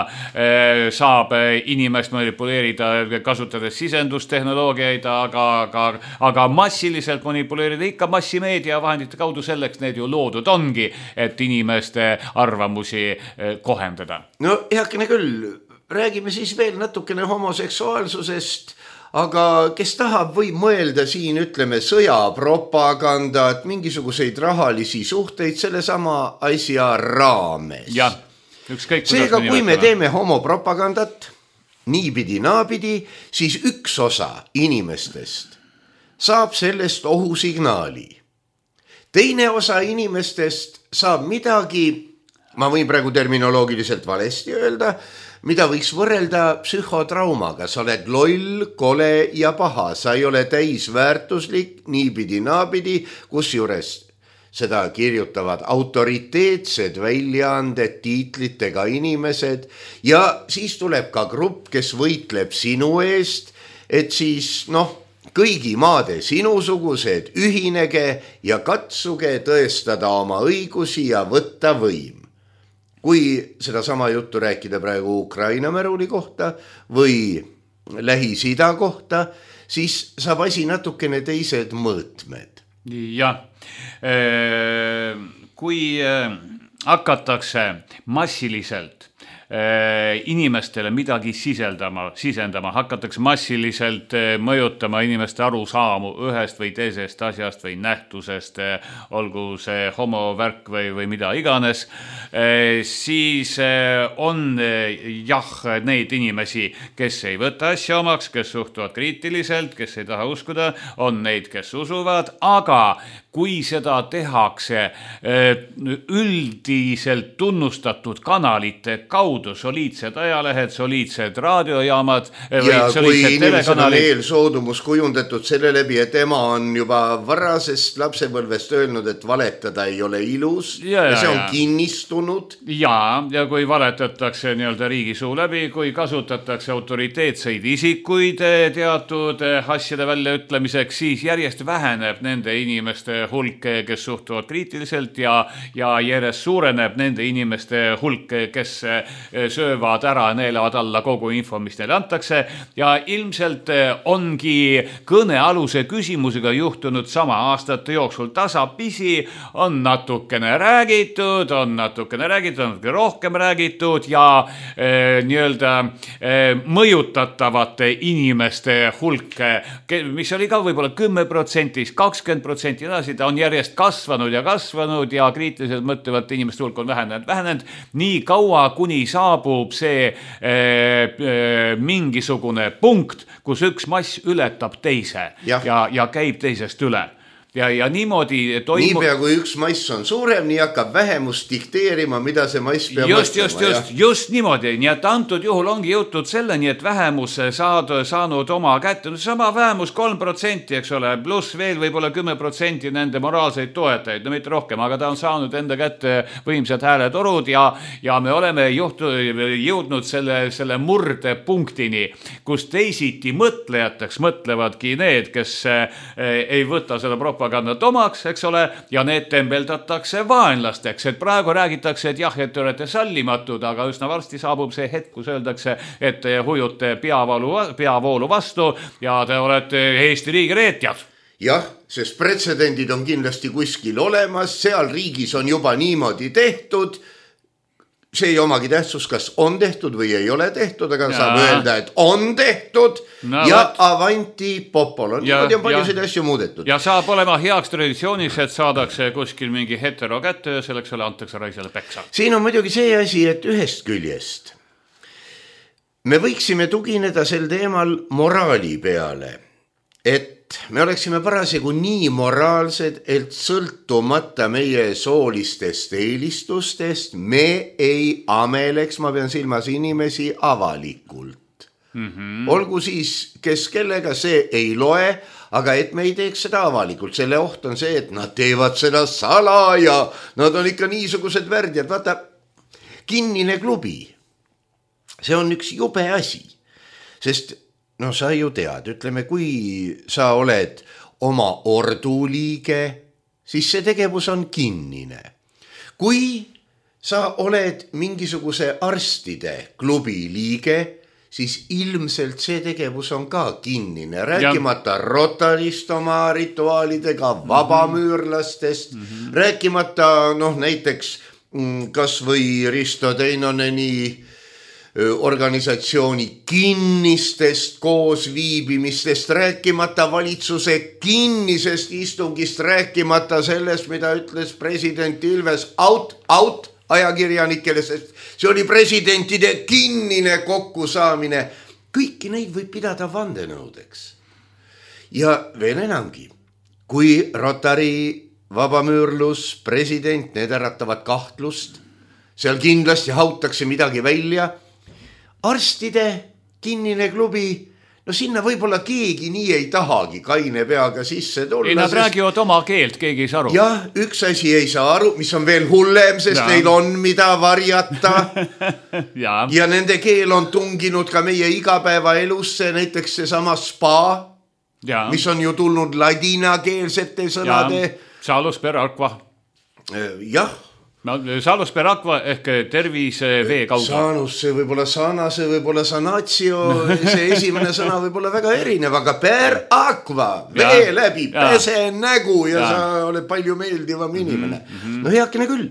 saab inimest manipuleerida, kasutades sisendustehnoloogiaid, aga massiliselt manipuleerida ikka massimeedia vahendite kaudu, selleks need ju loodud ongi, et inimeste arvamusi kohendada. No heakene küll, räägime siis veel natukene homoseksuaalsusest, aga kes tahab, võib mõelda siin, ütleme, sõjapropagandat, mingisuguseid rahalisi suhteid sellesama asja raames. Jah, ükskõik. Seega, kui me teeme homopropagandat niipidi naapidi, siis üks osa inimestest saab sellest ohusignaali. Teine osa inimestest saab midagi, ma võin praegu terminoloogiliselt valesti öelda, mida võiks võrrelda psühhotraumaga. Sa oled loll, kole ja paha, sa ei ole täisväärtuslik, niipidi naapidi, kusjuures seda kirjutavad autoriteetsed väljaanded, tiitlitega inimesed ja siis tuleb ka grupp, kes võitleb sinu eest, et siis kõigi maade sinusugused ühinege ja katsuge tõestada oma õigusi ja võtta võim. Kui seda sama juttu rääkida praegu Ukraina märuli kohta või Lähis-Ida kohta, siis saab asi natukene teised mõõtmed. Jah, kui hakatakse massiliselt inimestele midagi sisendama, hakatakse massiliselt mõjutama inimeste arusaamu ühest või teisest asjast või nähtusest, olgu see homovärk või mida iganes, siis on neid inimesi, kes ei võta asja omaks, kes suhtuvad kriitiliselt, kes ei taha uskuda, on neid, kes usuvad, aga kui seda tehakse üldiselt tunnustatud kanalite kaudu, soliidsed ajalehed, soliidsed raadiojaamad ja kui inimesed on eelsoodumus kujundatud selle läbi, et ema on juba varasest lapsepõlvest öelnud, et valetada ei ole ilus ja see on kinnistunud. Ja kui valetatakse nii-öelda riigisuu läbi, kui kasutatakse autoriteetseid isikuid teatud asjade väljaütlemiseks, siis järjest väheneb nende inimeste hulk, kes suhtuvad kriitiliselt ja järjest suureneb nende inimeste hulk, kes söövad ära, neelavad alla kogu info, mis neile antakse ja ilmselt ongi kõnealuse küsimusega juhtunud sama aastate jooksul tasapisi, on natukene räägitud, on natuke rohkem räägitud ja nii-öelda mõjutatavate inimeste hulk, mis oli ka võib-olla 10%, 20% edasi, ta on järjest kasvanud ja kriitiliselt mõtlevate inimeste hulk on vähenenud nii kaua, kuni saabub see mingisugune punkt, kus üks mass ületab teise ja käib teisest üle. Ja niimoodi toimub... Niipea kui üks mass on suurem, nii hakkab vähemus dikteerima, mida see mass peab mõtlema. Just niimoodi. Nii et antud juhul ongi jutud selleni, et vähemus saanud oma kätte. Sama vähemus 3%, eks ole, pluss veel võib-olla 10% nende moraalseid toetajaid, no mitte rohkem, aga ta on saanud enda kätte võimsad hääletorud ja me oleme jõudnud selle murdepunktini, kus teisiti mõtlejateks mõtlevadki need, kes ei võta seda propagandat omaks, eks ole, ja need tembeldatakse vaenlasteks, et praegu räägitakse, et jah, et te olete sallimatud, aga üsna varsti saabub see hetk, kus öeldakse, et te hujute peavoolu vastu ja te olete Eesti riigi reetjad. Jah, sest pretsedendid on kindlasti kuskil olemas, seal riigis on juba niimoodi tehtud, see ei omagi tähtsus, kas on tehtud või ei ole tehtud, aga saab öelda, et on tehtud ja avanti popol. Niimoodi on paljusid asju muudetud. Ja saab olema heaks traditsioonis, et saadakse kuskil mingi hetero kätte ja selleks ole antakse raisele peksa. Siin on muidugi see asi, et ühest küljest me võiksime tugineda sel teemal moraali peale, et me oleksime parasjagu nii moraalsed, et sõltumata meie soolistest eelistustest me ei ameleks, ma pean silmas inimesi avalikult. Olgu siis, kes kellega, see ei loe, aga et me ei teeks seda avalikult. Selle oht on see, et nad teevad seda salaja, nad on ikka niisugused värdjad. Vaata, kinnine klubi, see on üks jube asi, sest no sa ju tead, ütleme, kui sa oled oma ordu liige, siis see tegevus on kinnine. Kui sa oled mingisuguse arstide klubi liige, siis ilmselt see tegevus on ka kinnine. Rääkimata Rotarist oma rituaalidega, vabamüürlastest, rääkimata näiteks kas või Risto Teinoneni organisatsiooni kinnistest koosviibimistest, rääkimata valitsuse kinnisest istungist, rääkimata sellest, mida ütles president Ilves out ajakirjanikele, sest see oli presidentide kinnine kokkusaamine. Kõiki neid võib pidada vandenõudeks. Ja veel enamgi, kui Rotary, vabamüürlus, president, need äratavad kahtlust, seal kindlasti hautakse midagi välja. Arstide kinnine klubi, no sinna võib-olla keegi nii ei tahagi kaine peaga sisse tulla. Ei, nad räägivad oma keelt, keegi ei saa aru. Jah, üks asi ei saa aru, mis on veel hullem, sest neil on mida varjata. ja nende keel on tunginud ka meie igapäevaelusse, näiteks see sama spa, mis on ju tulnud ladinakeelsete sõnade. Salus per aqua. Jah. Salus per aqua ehk tervise vee kaudu. Saanus, see võib-olla sana, see võib-olla sanatio, see esimene sõna võib-olla väga erinev, aga per aqua, vee läbi, pese nägu ja sa oled palju meeldivam inimene. No heakene küll.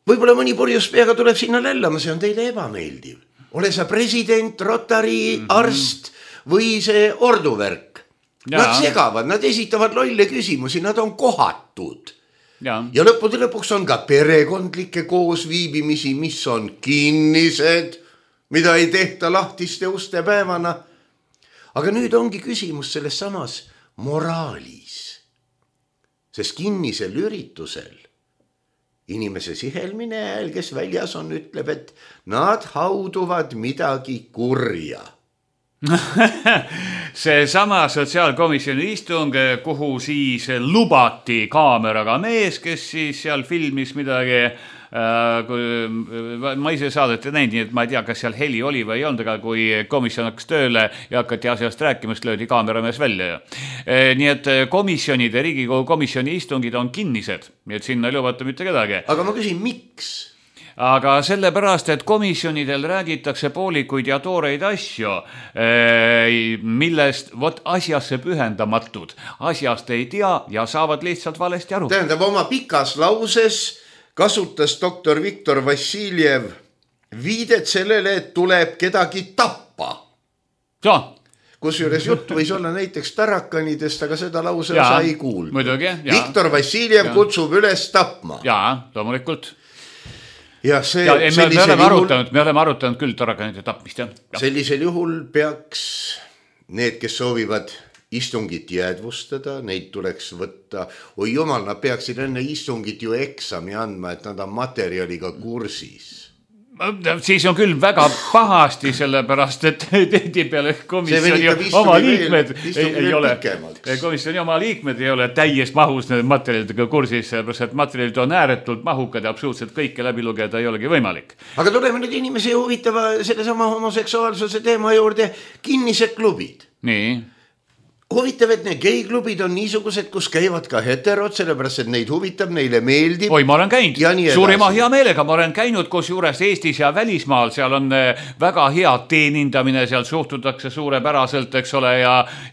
Võib-olla mõni purjus peaga tuleb sinna lällama, see on teile ebameeldiv. Ole sa president, Rotary, arst või see orduvärk. Nad segavad, nad esitavad lolle küsimusi, nad on kohatud. Ja lõppude lõpuks on ka perekondlikke koosviibimisi, mis on kinnised, mida ei tehta lahtiste uste päevana. Aga nüüd ongi küsimus selles samas moraalis. Sest kinnisel üritusel inimese sihelmine hääl, kes väljas on, ütleb, et nad hauduvad midagi kurja. See sama sotsiaalkomisjoni istung, kuhu siis lubati kaameraga mees, kes siis seal filmis midagi, ma ise saadet ei näinud, nii et ma ei tea, kas seal heli oli või ei olnud, aga kui komisjon hakkas tööle ja hakati asjast rääkimast, löödi kaameramees välja. Nii et komisjonide, Riigikogu komisjoni istungid on kinnised, nii et sinna ei lubata mitte kedagi. Aga ma küsin, miks? Aga sellepärast, et komisjonidel räägitakse poolikuid ja tooreid asju, millest asjasse pühendamatud, asjast ei tea ja saavad lihtsalt valesti aru. Tähendab, oma pikas lauses kasutas doktor Viktor Vassiljev viidet sellele, et tuleb kedagi tappa. Kusjuures jutt võis olla näiteks tarakanidest, aga seda lause osa ei kuulnud. Viktor Vassiljev kutsub üles tapma. Jaa, loomulikult. Ja me oleme arutanud küll tarakanide tapmist. Sellisel juhul peaks need, kes soovivad istungit jäädvustada, neid tuleks võtta. Oi jumal, nad peaksid enne istungit ju eksami andma, et nad on materjaliga kursis. Siis on küll väga pahasti, sellepärast, et tihtipeale komisjoni oma liikmed ei ole. Komisjoni oma liikmed ei ole täies mahus need materjalidega kursis, sellepärast, et materjalid on ääretult mahukad ja absoluutselt kõike läbi lugeda ei olegi võimalik. Aga tuleme nüüd inimese huvitava sellesama homoseksuaalsuse teema juurde, kinnised klubid. Nii. huvitav, et need geiklubid on niisugused, kus käivad ka heterod, sellepärast, et neid huvitab, neile meeldib. Oi, ma olen käinud. Suurima hea meelega. Ma olen käinud kus juures Eestis ja välismaal. Seal on väga hea teenindamine, seal suhtutakse suurepäraselt, eks ole,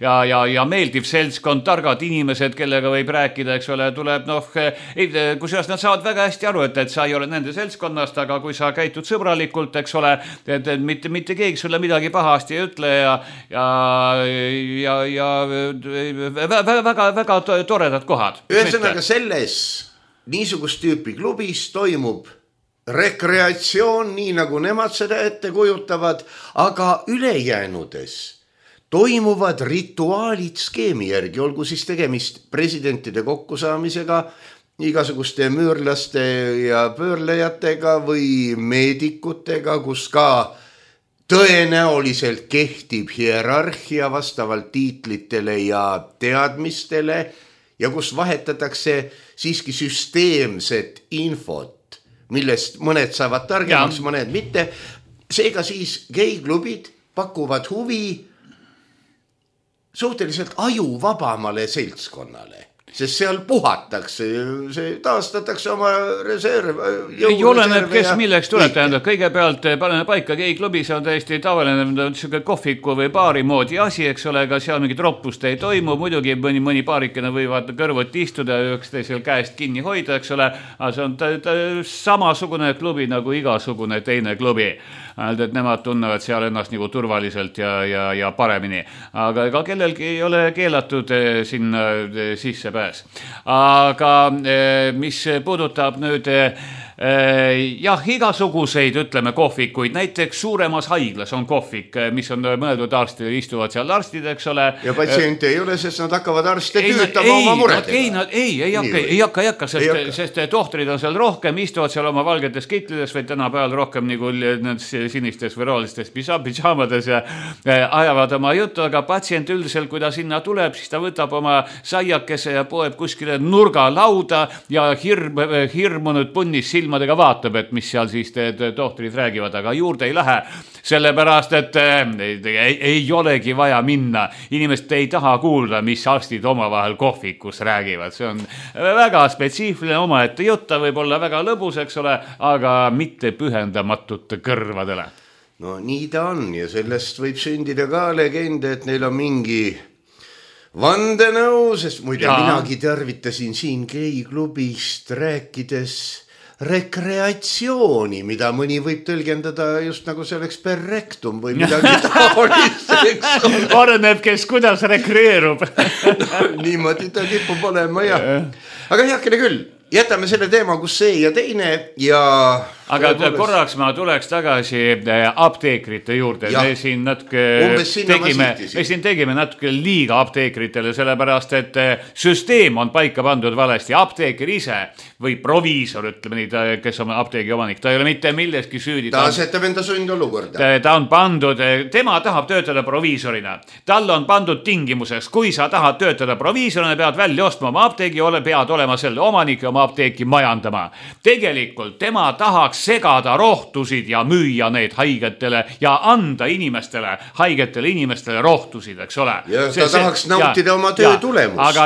ja meeldiv seltskond, targad inimesed, kellega võib rääkida, eks ole, tuleb, kusjuures nad saavad väga hästi aru, et sa ei ole nende seltskonnast, aga kui sa käitud sõbralikult, eks ole, et mitte keegi sulle midagi pahasti ei ütle ja väga toredad kohad. Ühesõnaga selles niisugust tüüpi klubis toimub rekreatsioon, nii nagu nemad seda ette kujutavad, aga ülejäänudes toimuvad rituaalid skeemi järgi, olgu siis tegemist presidentide kokkusaamisega, igasuguste müürlaste ja pöörlejatega või meedikutega, kus ka tõenäoliselt kehtib hierarhia vastavalt tiitlitele ja teadmistele ja kus vahetatakse siiski süsteemset infot, millest mõned saavad targemaks, mõned mitte. Seega siis geiklubid pakuvad huvi suhteliselt ajuvabamale seltskonnale. Sest seal puhatakse, see taastatakse oma reserv. Oleneb, kes milleks tuleb, tähendab. Kõigepealt paneme paika geiklubi, see on täiesti tavaline kohviku või baari moodi asi, eks ole, aga seal mingit roppust ei toimu. Muidugi mõni paarikene võivad kõrvuti istuda ja üksteisel käest kinni hoida, eks ole. Aga see on samasugune klubi nagu igasugune teine klubi. Et nemad tunnevad seal ennast nagu turvaliselt ja paremini. Aga ega kellelgi ei ole keelatud sinna sisse pääs. Aga mis puudutab nüüd igasuguseid, ütleme, kohvikuid, näiteks suuremas haiglas on kohvik, mis on mõeldud arstid, istuvad seal arstid, eks ole. Ja patsiente ei ole, sest nad hakkavad arste tüütama oma muredega. Ei hakka, sest tohtrid on seal rohkem, istuvad seal oma valgetes kitlides või tänapäeval rohkem nagu sinistes või roolistes pidžaamades ja ajavad oma juttu, aga patsient üldiselt, kui ta sinna tuleb, siis ta võtab oma saiakese ja poeb kuskile nurga lauda ja hirmunud punnis silmadega vaatab, et mis seal siis tohtrid räägivad, aga juurde ei lähe, sellepärast, et ei olegi vaja minna. Inimesed ei taha kuulda, mis arstid omavahel kohvikus räägivad. See on väga spetsiifiline omaette jutta, võib olla väga lõbus, eks ole, aga mitte pühendamatute kõrvadele. No nii ta on ja sellest võib sündida ka legende, et neil on mingi vandenõu, sest muide minagi tervitasin siin geiklubist rääkides rekreatsiooni, mida mõni võib tõlgendada just nagu see oleks per rectum või midagi taolist. Oleneb, kes kuidas rekreerub. Niimoodi ta kipub olema, jah. Aga heakene küll, jätame selle teema, kus see ja teine ja... Aga korraks ma tuleks tagasi apteekrite juurde. Me siin tegime natuke liiga apteekritele, sellepärast, et süsteem on paika pandud valesti. Apteeker ise või proviisor, ütleme nii, kes on apteegi omanik, ta ei ole mitte milleski süüdi. Ta asetab enda sundolukorda. Ta on pandud, tema tahab töötada proviisorina. Tal on pandud tingimuseks, kui sa tahad töötada proviisorina, pead välja ostma oma apteegi, pead olema selle omanik ja oma apteeki majandama. Tegelikult tema tahaks segada rohtusid ja müüa need haigetele ja anda haigetele inimestele rohtusid, eks ole. Ja ta tahaks nautida oma töö tulemust.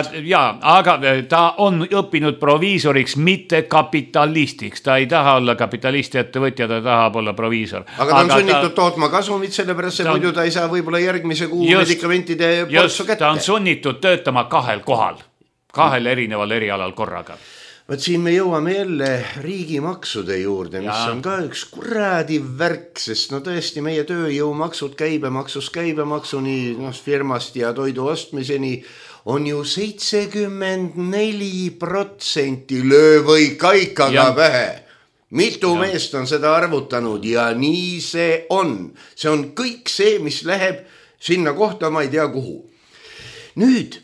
Aga ta on õppinud proviisoriks, mitte kapitalistiks. Ta ei taha olla kapitalisti ettevõtja, ta tahab olla proviisor. Aga ta on sunnitud tootma kasumit, sellepärast see muidu ta ei saa võib-olla järgmise kuu medikamentide poltsu kätte. Ta on sunnitud töötama 2 kohal, 2 erineval erialal korraga. Võt siin me jõuame jälle riigimaksude juurde, mis on ka üks kuradi värk, sest no tõesti meie tööjõumaksud käibemaksuni firmast ja toidu ostmiseni on ju 74%, löö või kaikaga pähe. Mitu meest on seda arvutanud ja nii see on. See on kõik see, mis läheb sinna kohta, ma ei tea kuhu. Nüüd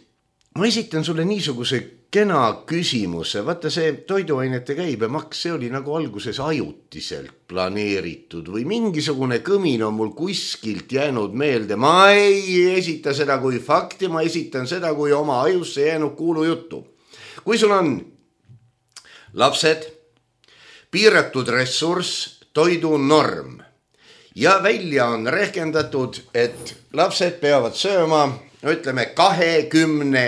ma esitan sulle niisuguse kena küsimuse. Vaata see toiduainete käibemaks, see oli nagu alguses ajutiselt planeeritud või mingisugune kõmin on mul kuskilt jäänud meelde. Ma ei esita seda kui fakti, ma esitan seda kui oma ajusse jäänud kuulujuttu. Kui sul on lapsed, piiratud ressurss, toidunorm ja välja on rehkendatud, et lapsed peavad sööma no ütleme 20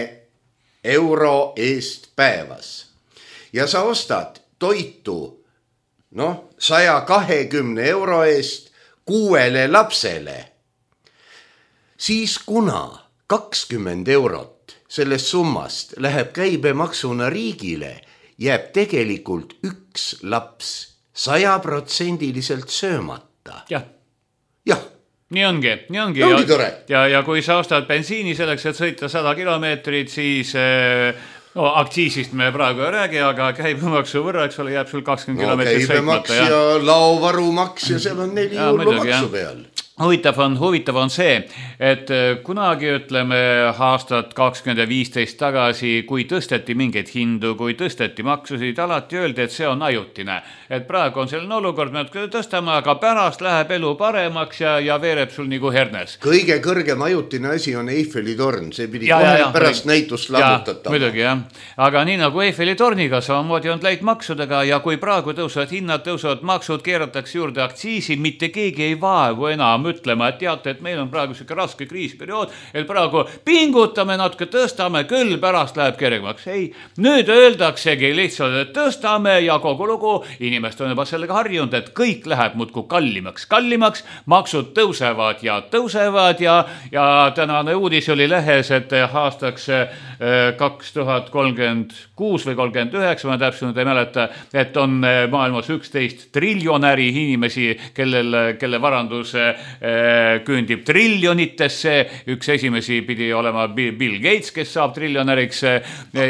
euro eest päevas ja sa ostad toitu 120 euro eest 6 lapsele, siis kuna 20 eurot sellest summast läheb käibemaksuna riigile, jääb tegelikult üks laps 100% söömata. Jah. Nii ongi. Ja kui sa ostad bensiini selleks, et sõita 100 kilomeetrit, siis aktsiisist me praegu ei räägi, aga käibemaksu võrra, eks ole, jääb sul 20 kilomeetrit sõitmata. Käibemaks ja laovarumaks ja seal on 4 hullu maksu peal. Huvitav on see, et kunagi ütleme aastat 2015 tagasi, kui tõsteti mingeid hindu, kui tõsteti maksusid, alati öeldi, et see on ajutine. Et praegu on selline olukord, me tõstame, aga pärast läheb elu paremaks ja veereb sul nagu hernes. Kõige kõrgem ajutine asi on Eiffeli torn, see pidi kohe pärast näitust lammutatama. Muidugi, jah. Aga nii nagu Eiffeli torniga samamoodi on läinud maksudega ja kui praegu tõusevad hinnad, tõusevad maksud, keeratakse juurde aktsiisi, mitte keegi ei vaevu enam mõtlema, et teate, et meil on praegu selline raske kriisperiood, et praegu pingutame natuke, tõstame, küll pärast läheb kergemaks. Ei, nüüd öeldaksegi lihtsalt, et tõstame ja kogu lugu, inimest on juba sellega harjunud, et kõik läheb muudku kallimaks, maksud tõusevad ja tänane uudis oli lehes, et aastaks 2036 või 39, ma täpselt ei mäleta, et on maailmas 11 triljonäri inimesi, kelle varandus küündib triljonitesse. Üks esimesi pidi olema Bill Gates, kes saab triljonäriks.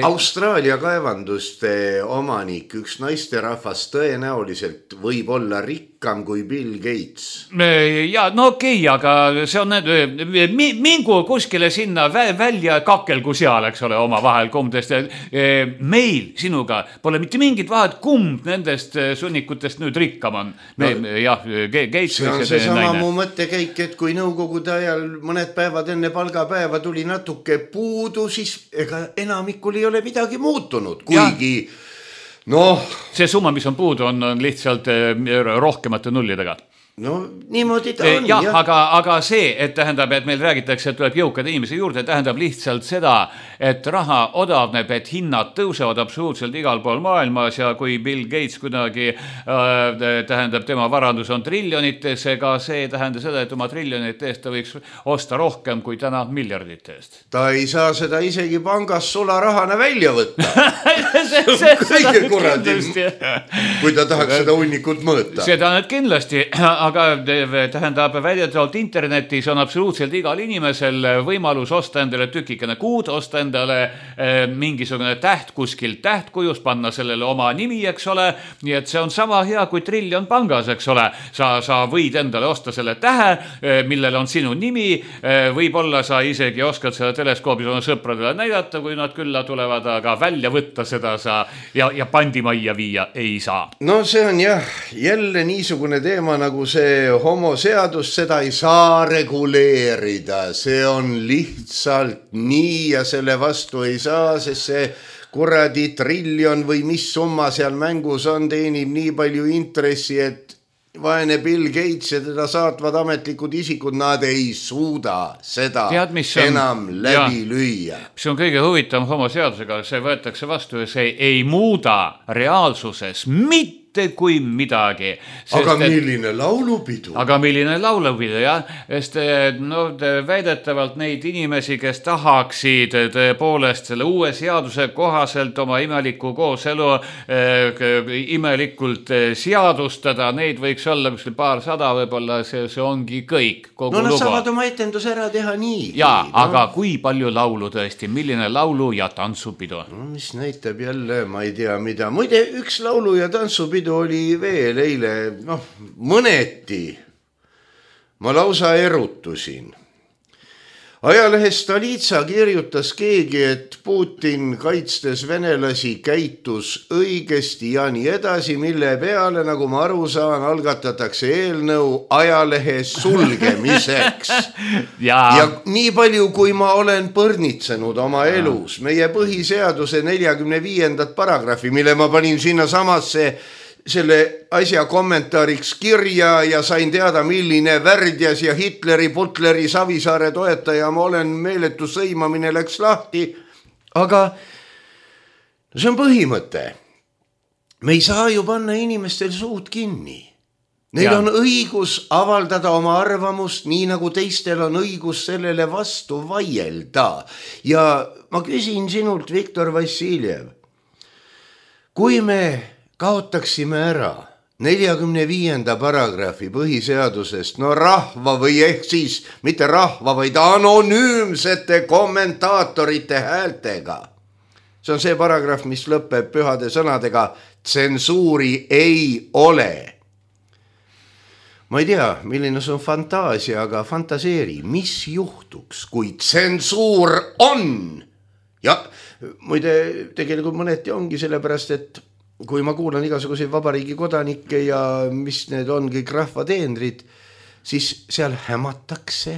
Austraalia kaevanduste omanik, üks naisterahvas tõenäoliselt võib olla rikkam kui Bill Gates. Ja, no okei, aga see on mingu kuskile sinna välja kakelgu seal, eks ole, oma vahel kummdest. Meil sinuga pole mitte mingit vahet, kumb nendest sunnikutest nüüd rikkam on. Gates see on seesama mu mõttekäik, et kui nõukogude ajal mõned päevad enne palgapäeva tuli natuke puudu, siis ega enamikul ei ole midagi muutunud, kuigi see summa, mis on puudu, on lihtsalt rohkemate nullidega. No niimoodi ta on, jah. Aga see, et tähendab, et meil räägitakse, et tuleb jõukad inimesi juurde, tähendab lihtsalt seda, et raha odavneb, et hinnad tõusevad absoluutselt igal pool maailmas ja kui Bill Gates kuidagi tähendab, tema varandus on triljonites, ega see tähendab seda, et oma triljonite eest ta võiks osta rohkem kui täna miljardite eest. Ta ei saa seda isegi pangas sularahana välja võtta. Kõige kuradi, kui ta tahaks seda hunnikut mõõta. Seda nüüd kindlasti, aga tähendab, väidetavalt internetis on absoluutselt igal inimesel võimalus osta endale tükikene kuud, osta endale mingisugune täht kuskilt tähtkujust, panna sellele oma nimi, eks ole, nii et see on sama hea kui triljon pangas, eks ole. Sa võid endale osta selle tähe, millel on sinu nimi, võib-olla sa isegi oskad seda teleskoobis oma sõpradele näidata, kui nad külla tulevad, aga välja võtta seda sa ja pandimajja viia ei saa. No see on jah, jälle niisugune teema nagu see homoseadus, seda ei saa reguleerida, see on lihtsalt nii ja selle vastu ei saa, sest see kuradi triljon või mis summa seal mängus on, teenib nii palju intressi, et vaene Bill Gates ja teda saatvad ametlikud isikud, nad ei suuda seda enam läbi lüüa. Mis on kõige huvitavam homoseadusega, see võetakse vastu ja see ei muuda reaalsuses mitte kui midagi. Aga milline laulupidu? Jah. Sest väidetavalt neid inimesi, kes tahaksid tõepoolest selle uue seaduse kohaselt oma imeliku kooselu imelikult seadustada, neid võiks olla kuskil paarsada, võib-olla see ongi kõik. Nad saavad oma etendus ära teha nii. Aga kui palju laulu tõesti, milline laulu ja tantsupidu? Mis näitab jälle, ma ei tea mida. Muide, üks laulu ja tantsupidu oli veel eile, mõneti. Ma lausa erutusin. Ajalehes Stolitsa kirjutas keegi, et Putin kaitstes venelasi käitus õigesti ja nii edasi, mille peale, nagu ma aru saan, algatatakse eelnõu ajalehe sulgemiseks. ja nii palju, kui ma olen põrnitsenud oma elus, meie põhiseaduse 45. paragrahvi, mille ma panin sinna samasse selle asja kommentaariks kirja ja sain teada, milline Värdjas ja Hitleri, Butleri, Savisaare toetaja ma olen, meeletu sõimamine läks lahti. Aga see on põhimõte. Me ei saa ju panna inimestel suud kinni. Neil on õigus avaldada oma arvamust, nii nagu teistel on õigus sellele vastu vaielda. Ja ma küsin sinult, Viktor Vassiljev, kui me kaotaksime ära 45. paragrahvi põhiseadusest, no rahva või ehk siis mitte rahva, vaid anonüümsete kommentaatorite häältega. See on see paragrahv, mis lõpeb pühade sõnadega, tsensuuri ei ole. Ma ei tea, milline see on fantaasia, aga fantaseeri, mis juhtuks, kui tsensuur on? Ja muide, tegelikult mõneti ongi sellepärast, et kui ma kuulan igasuguseid vabariigi kodanikke ja mis need on kõik rahvateenrid, siis seal hämatakse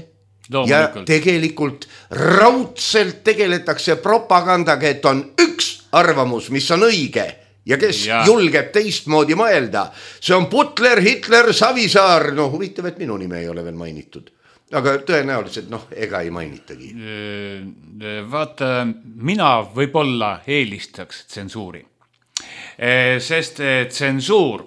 ja tegelikult raudselt tegeletakse propagandaga, et on üks arvamus, mis on õige. Ja kes julgeb teistmoodi mõelda. See on Butler, Hitler, Savisaar. No huvitav, et minu nime ei ole veel mainitud. Aga tõenäoliselt, ega ei mainitagi. Vaata, mina võib-olla eelistaks tsensuuri. Sest tsensuur,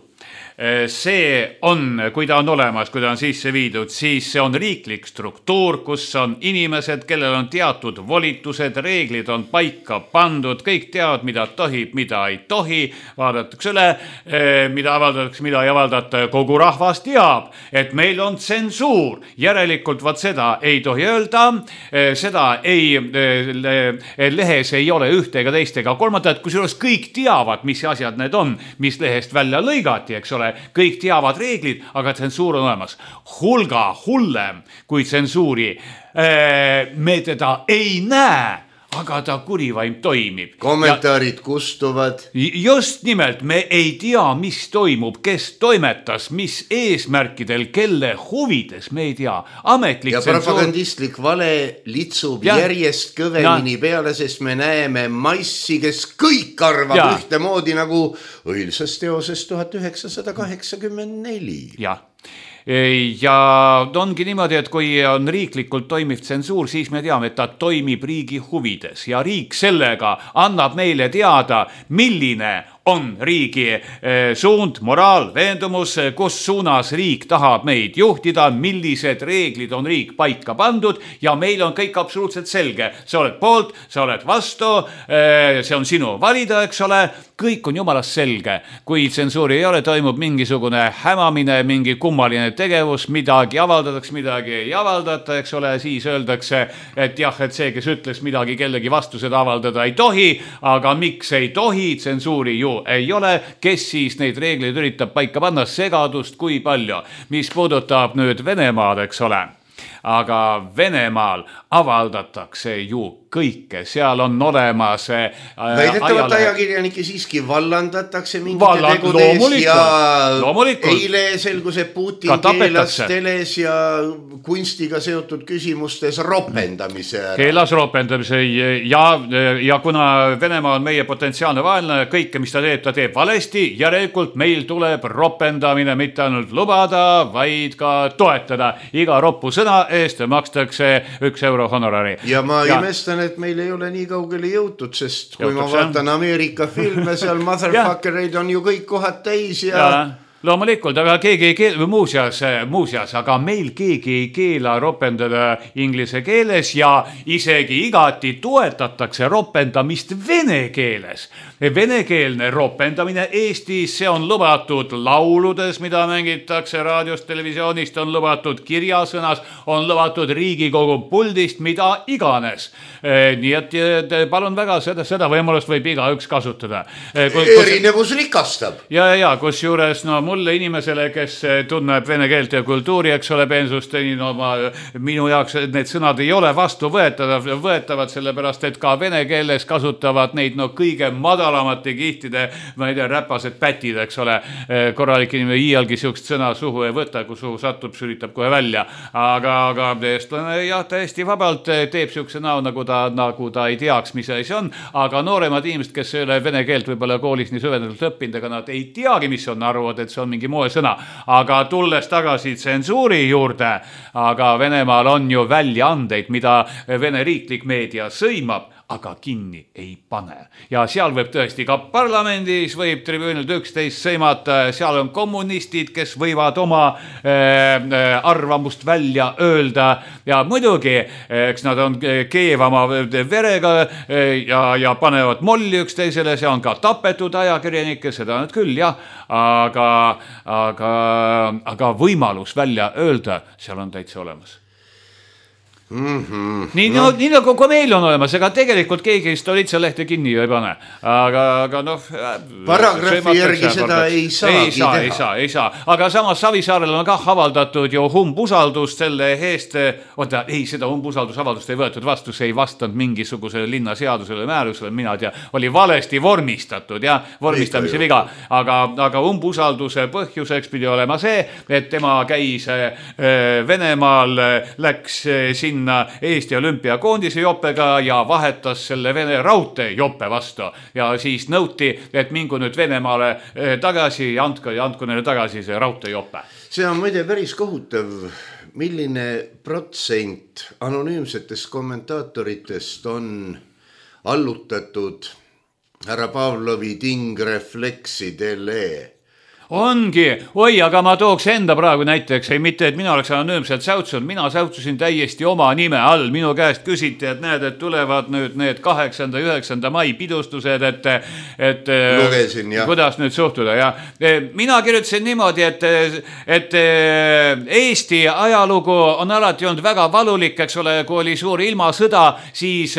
see on, kui ta on olemas, kui ta on sisse viidud, siis see on riiklik struktuur, kus on inimesed, kellel on teatud volitused, reeglid on paika pandud, kõik teavad, mida tohib, mida ei tohi, vaadatakse üle, mida avaldatakse, mida ei avaldata, kogu rahvas teab, et meil on tsensuur, järelikult vaat seda ei tohi öelda, seda ei, lehes ei ole ühte ega teist ega kolmandat, kusjuures kõik teavad, mis asjad need on, mis lehest välja lõigati, eks ole, kõik teavad reeglid, aga tsensuur on olemas. Hulga hullem kui tsensuuri. Me teda ei näe, aga ta kurivaim toimib. Kommentaarid kustuvad. Just nimelt, me ei tea, mis toimub, kes toimetas, mis eesmärkidel, kelle huvides, me ei tea. Ametlik ja propagandistlik vale litsub järjest kõvemini peale, sest me näeme massi, kes kõik arvab ühtemoodi nagu õilsas teoses 1984. Jah. Ja ongi niimoodi, et kui on riiklikult toimiv tsensuur, siis me teame, et ta toimib riigi huvides ja riik sellega annab meile teada, milline on riigi suund, moraal, veendumus, kus suunas riik tahab meid juhtida, millised reeglid on riik paika pandud ja meil on kõik absoluutselt selge. Sa oled poolt, sa oled vastu, see on sinu valida, eks ole, kõik on jumalast selge. Kui tsensuuri ei ole, toimub mingisugune hämamine, mingi kummaline tegevus, midagi avaldatakse, midagi ei avaldata, eks ole, siis öeldakse, et jah, et see, kes ütles midagi kellegi vastu, seda avaldada ei tohi, aga miks ei tohi, tsensuuri ju ei ole, kes siis neid reegleid üritab paika panna, segadust kui palju, mis puudutab nüüd Venemaad, eks ole. Aga Venemaal avaldatakse ju kõike, seal on olemas väidetavalt ajakirjanikke siiski vallandatakse mingite tegude eest ja eile selgus, et Putin keelas teles ja kunstiga seotud küsimustes ropendamise. Keelas ropendamise ja kuna Venemaa on meie potentsiaalne vaenlane, kõike, mis ta teeb valesti, järelikult meil tuleb ropendamine mitte ainult lubada, vaid ka toetada. Iga roppu sõna eest makstakse 1 euro honorari. Ja ma imestan, et meil ei ole nii kaugele jõutud, sest kui ma vaatan Ameerika filme, seal motherfuckereid on ju kõik kohad täis ja loomulikult, aga keegi ei keela, muuseas, aga meil keegi ei keela ropendada inglise keeles ja isegi igati toetatakse ropendamist vene keeles. Venekeelne ropendamine Eestis, see on lubatud lauludes, mida mängitakse raadiost, televisioonist, on lubatud kirjasõnas, on lubatud Riigikogu puldist, mida iganes. Nii et palun väga, seda võimalust võib igaüks kasutada. Erinevus rikastab. Ja kus juures, no mulle inimesele, kes tunneb vene keelt ja kultuuri, eks ole, peensustenin oma, minu jaoks need sõnad ei ole võetavad, sellepärast, et ka vene keeles kasutavad neid kõige madalamate kihtide, ma ei tea, räpased pätid, eks ole, korralik inimene iialgi siukest sõna suhu ei võta, kui suhu satub, sülitab kohe välja, aga eestlane jah, täiesti vabalt teeb siukse näo, nagu ta ei teaks, mis asi on, aga nooremad inimesed, kes ei ole vene keelt võib-olla koolis nii süvendatult õppinud, aga nad ei teagi, mis on, arvad, et see on mingi moesõna, aga tulles tagasi tsensuuri juurde, aga Venemaal on ju väljaandeid, mida Vene riiklik meedia sõimab, aga kinni ei pane. Ja seal võib tõesti ka parlamendis võib tribüünilt 11 sõimata, seal on kommunistid, kes võivad oma arvamust välja öelda ja muidugi, eks nad on keevama verega ja panevad molli üksteisele, see on ka tapetud ajakirjanikke, seda nad küll, jah, aga võimalus välja öelda, seal on täitsa olemas. Nii nagu kui meil on olemas, ega tegelikult keegi Stolitsa-lehte kinni ju ei pane, aga noh paragrahvi järgi seda ei saagi teha. Ei saa, aga samas Savisaarel on kah avaldatud ju umbusaldust selle eest, seda umbusaldusavaldust ei võetud vastu, see ei vastanud mingisugusele linnaseadusele määrusele, mina tea, oli valesti vormistatud ja vormistamise viga, aga umbusalduse põhjuseks pidi olema see, et tema käis Venemaal, läks sinna Eesti olümpiakoondise joppega ja vahetas selle Vene raudtee joppe vastu ja siis nõuti, et mingu nüüd Venemaale tagasi ja andku neile tagasi see raudtee joppe. See on muide päris kohutav, milline protsent anonüümsetest kommentaatoritest on allutatud härra Pavlovi tingrefleksidele. Ongi, aga ma tooks enda praegu näiteks, ei mitte, et mina oleks anonüümselt säutsunud, mina säutsusin täiesti oma nime all, minu käest küsiti, et näed, et tulevad nüüd need 8. ja 9. mai pidustused, et lugesin, jah. Kuidas nüüd suhtuda, ja mina kirjutasin niimoodi, et Eesti ajalugu on alati olnud väga valulik, eks ole, kui oli suur ilmasõda, siis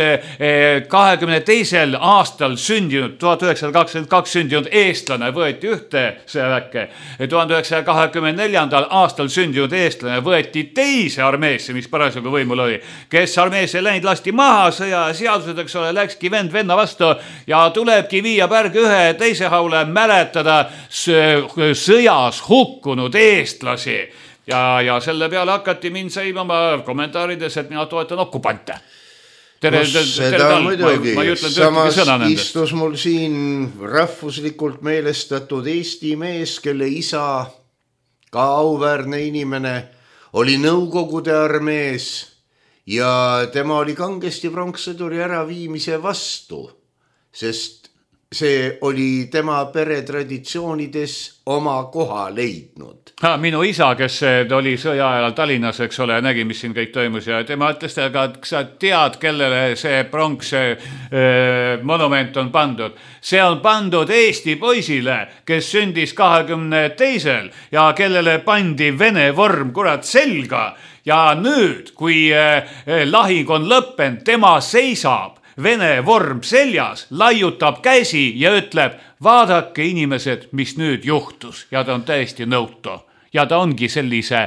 22. aastal sündinud, 1922 sündinud eestlane võeti ühte sõjaväkke. 1924. aastal sündinud eestlane võeti teise armeesse, mis parasjagu võimul oli, kes armeesse läinud lasti maha, sõja seadused, eks ole, läkski vend venna vastu ja tulebki viia pärg ühe teise haule mäletada sõjas hukkunud eestlasi ja selle peale hakati mind sõimama kommentaarides, et mina toetan okupante. Seda muidugi, samas istus mul siin rahvuslikult meelestatud Eesti mees, kelle isa, ka auväärne inimene, oli Nõukogude armees ja tema oli kangesti pronkssõduri äraviimise vastu, sest see oli tema peretraditsioonides oma koha leidnud. Minu isa, kes oli sõja ajal Tallinnas, eks ole, nägi, mis siin kõik toimus ja tema ütles, aga sa tead, kellele see pronks monument on pandud. See on pandud Eesti poisile, kes sündis 22. ja kellele pandi Vene vorm kurat selga ja nüüd, kui lahing on lõppenud, tema seisab Vene vorm seljas, laiutab käsi ja ütleb, vaadake inimesed, mis nüüd juhtus ja ta on täiesti nõutu. Ja ta ongi sellise,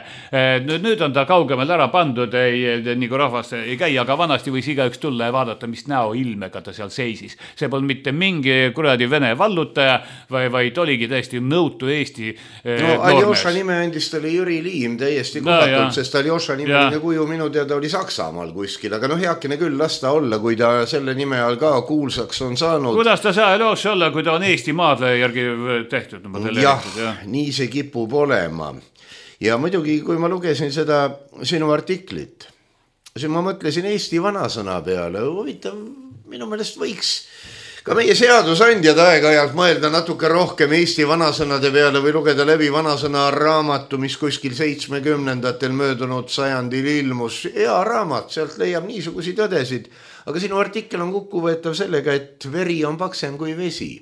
nüüd on ta kaugemale ära pandud, nii kui rahvast ei käi, aga vanasti võis igaüks tulla ja vaadata, mis näo ilmega ta seal seisis. See polnud mitte mingi kuradi Vene vallutaja, vaid oligi täiesti nõutu Eesti noormees. Aljoša nime andis talle Jüri Liim täiesti kohatud, sest Aljoša nimeline kuju minu teada oli Saksamaal kuskil, aga heakene küll lasta olla, kui ta selle nime all ka kuulsaks on saanud. Kuidas ta saa Aljoša olla, kui ta on Eesti maadle järgi tehtud? Jah, nii see kipub olema. Ja muidugi, kui ma lugesin seda sinu artiklit, siis ma mõtlesin Eesti vanasõna peale. Huvitav, minu meelest võiks ka meie seadusandjad aeg-ajalt mõelda natuke rohkem Eesti vanasõnade peale või lugeda läbi vanasõna raamatu, mis kuskil 70-ndatel möödunud sajandil ilmus. Hea raamat, sealt leiab niisugusi tõdesid. Aga sinu artikkel on kukkuvõetav sellega, et veri on paksem kui vesi.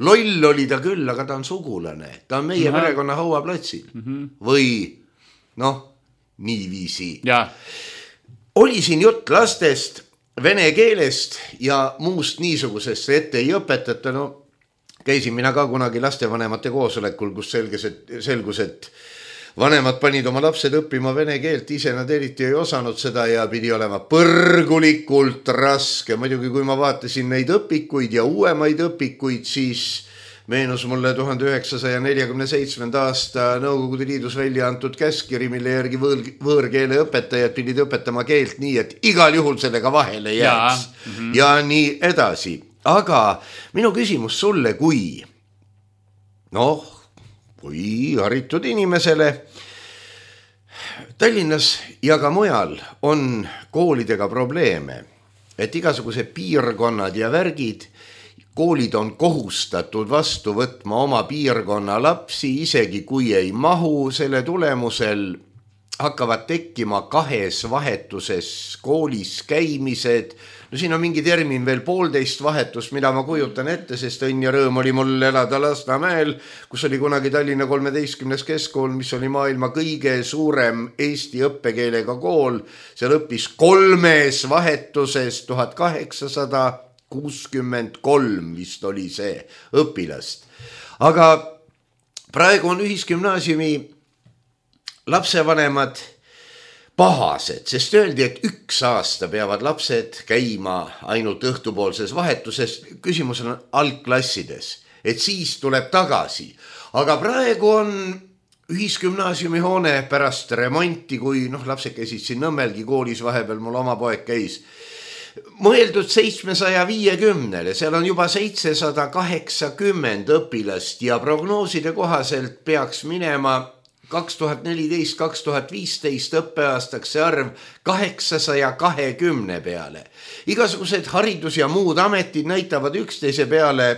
Loll oli ta küll, aga ta on sugulane. Ta on meie perekonna hauaplatsil. Või, niiviisi. Ja. Oli siin jutt lastest, vene keelest ja muust niisugusest ette ei õpetata. käisin mina ka kunagi lastevanemate koosolekul, kus selgus, et vanemad panid oma lapsed õppima vene keelt, ise nad eriti ei osanud seda ja pidi olema põrgulikult raske. Muidugi, kui ma vaatasin neid õpikuid ja uuemaid õpikuid, siis meenus mulle 1947. aasta Nõukogude Liidus välja antud käskkiri, mille järgi võõrkeele õpetajad pidid õpetama keelt nii, et igal juhul sellega vahele jääks ja nii edasi. Aga minu küsimus sulle kui haritud inimesele Tallinnas ja ka mujal on koolidega probleeme, et igasugused piirkonnad ja värgid, koolid on kohustatud vastu võtma oma piirkonna lapsi, isegi kui ei mahu, selle tulemusel hakkavad tekkima 2 vahetuses koolis käimised. No siin on mingi termin veel 1,5 vahetust, mida ma kujutan ette, sest õnn ja rõõm oli mul elada Lasnamäel, kus oli kunagi Tallinna 13. keskkool, mis oli maailma kõige suurem eesti õppekeelega kool. Seal õppis 3 vahetuses 1863 vist oli see õpilast. Aga praegu on ühisgümnaasiumi lapsevanemad pahased, sest öeldi, et 1 aasta peavad lapsed käima ainult õhtupoolses vahetuses. Küsimus on algklassides, et siis tuleb tagasi. Aga praegu on ühisgümnaasiumi hoone pärast remonti, kui lapsed käisid siin Nõmmelgi koolis, vahepeal mul oma poeg käis, mõeldud 750-le, seal on juba 780 õpilast ja prognooside kohaselt peaks minema 2014-2015 õppeaastaks see arv 820 peale. Igasugused haridus ja muud ametid näitavad üksteise peale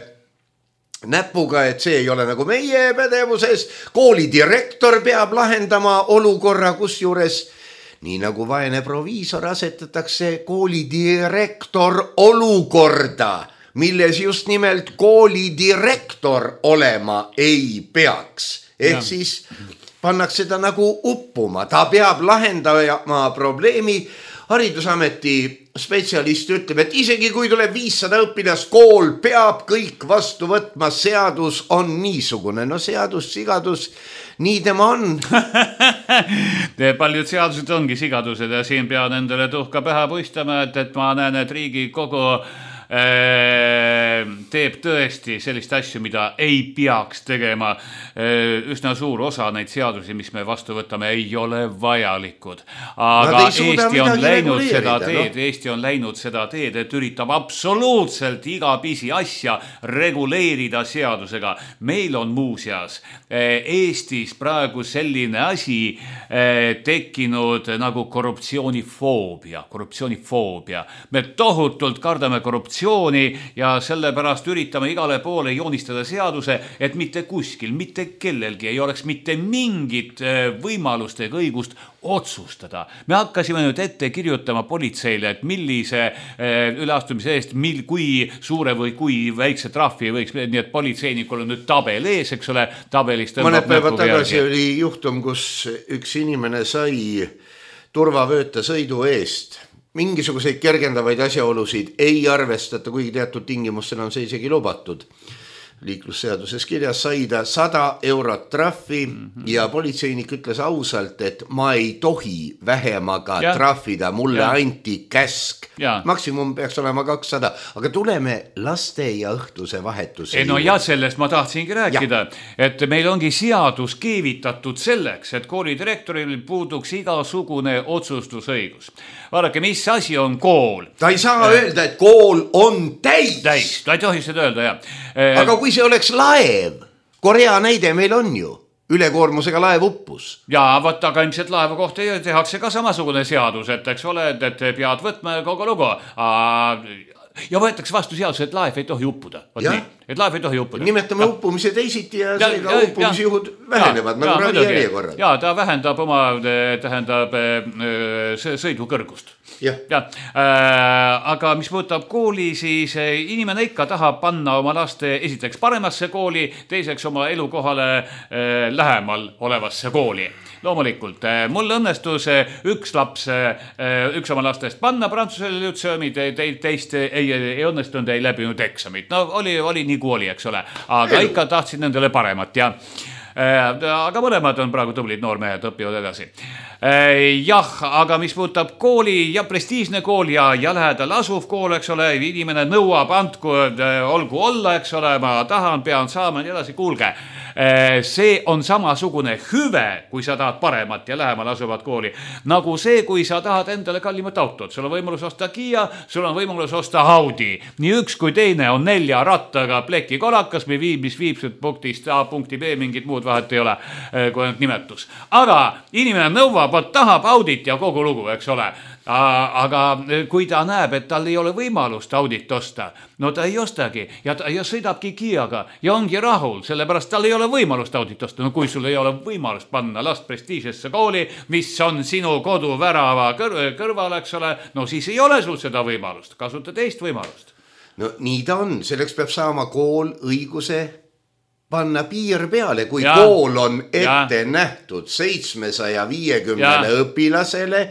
näpuga, et see ei ole nagu meie pädevuses. Kooli direktor peab lahendama olukorra, kus juures nii nagu vaene proviisor asetatakse kooli direktor olukorda, milles just nimelt kooli direktor olema ei peaks. Ehk siis pannakse ta nagu uppuma, ta peab lahendama probleemi. Haridusameti spetsialist ütleb, et isegi kui tuleb 500 õpilast, kool peab kõik vastu võtma, seadus on niisugune. No seadus, sigadus, nii tema on. Paljud seadused ongi sigadused ja siin pean endale tuhka pähe puistama, et ma näen, et Riigikogu teeb tõesti sellist asju, mida ei peaks tegema. Üsna suur osa neid seadusi, mis me vastu võtame, ei ole vajalikud. Aga Eesti on läinud seda teed, Eesti on läinud seda teed, et üritab absoluutselt iga pisi asja reguleerida seadusega. Meil on muuseas Eestis praegu selline asi tekkinud nagu korruptsioonifoobia. Me tohutult kardame korruptsiooni ja sellepärast üritame igale poole joonistada seaduse, et mitte kuskil, mitte kellelgi ei oleks mitte mingit võimalust ega õigust otsustada. Me hakkasime nüüd ette kirjutama politseile, et millise üleastumise eest, kui suure või kui väikse trahvi võiks, nii et politseinikul on nüüd tabel ees, eks ole, tabelist. Mõned päevad tagasi oli juhtum, kus üks inimene sai turvavööta sõidu eest. Mingisuguseid kergendavaid asjaolusid ei arvestata, kuigi teatud tingimustel on see isegi lubatud. Liiklusseaduses kirjas sai ta 100 eurot trahvi ja politseinik ütles ausalt, et ma ei tohi vähemaga trahvida, mulle anti käsk. Maksimum peaks olema 200, aga tuleme laste ja õhtuse vahetuse. No ja sellest ma tahtsingi rääkida, et meil ongi seadus keevitatud selleks, et koolidirektoril puuduks igasugune otsustusõigus. Vaadake, mis asi on kool? Ta ei saa öelda, et kool on täis. Ta ei tohi seda öelda, jah. Aga kui see oleks laev, Korea näide meil on ju, ülekoormusega laev uppus. Ja võt, aga ilmselt laeva kohta tehakse ka samasugune seadus, et eks ole, et pead võtma kogu lugu. Ja võetakse vastu seadus, et laev ei tohi uppuda. Et laev ei tohi uppuda. Nimetame uppumise teisiti ja seega uppumisjuhud vähenevad, nagu ravijärjekorrad. Ja ta vähendab oma, tähendab sõidu kõrgust. Aga mis puudutab kooli, siis inimene ikka tahab panna oma laste esiteks paremasse kooli, teiseks oma elukohale lähemal olevasse kooli. loomulikult. Mul õnnestus üks oma lastest panna Prantsusele lütseumi, teist ei õnnestunud, ei läbinud eksamit. No oli nii kui oli, eks ole. Aga ikka tahtsin nendele paremat, ja aga mõlemad on praegu tublid noormehed, õpivad edasi. Jah, aga mis puudutab kooli ja prestiižne kool ja lähedal asuv kool, eks ole, inimene nõuab, andku, olgu olla, eks ole, ma tahan, pean saama ja edasi, kuulge. See on samasugune hüve, kui sa tahad paremat ja lähemal asuvat kooli. Nagu see, kui sa tahad endale kallimat autot. Sul on võimalus osta Kia, sul on võimalus osta Audi. Nii üks kui teine on 4 rattaga pleki kolakas, mis viib punktist A punkti B, mingit muud vahet ei ole, kui on nimetus. Aga inimene nõuab, tahab Audit ja kogu lugu, eks ole. Aga kui ta näeb, et tal ei ole võimalust Audit osta, no ta ei ostagi ja sõidabki Kiaga ja ongi rahul, sellepärast tal ei ole võimalust Audit osta. No kui sul ei ole võimalust panna last prestiižesse kooli, mis on sinu koduvärava kõrval, eks ole, no siis ei ole sul seda võimalust, kasuta teist võimalust. No nii ta on, selleks peab saama kool õiguse panna piir peale, kui kool on ette nähtud 750 õpilasele,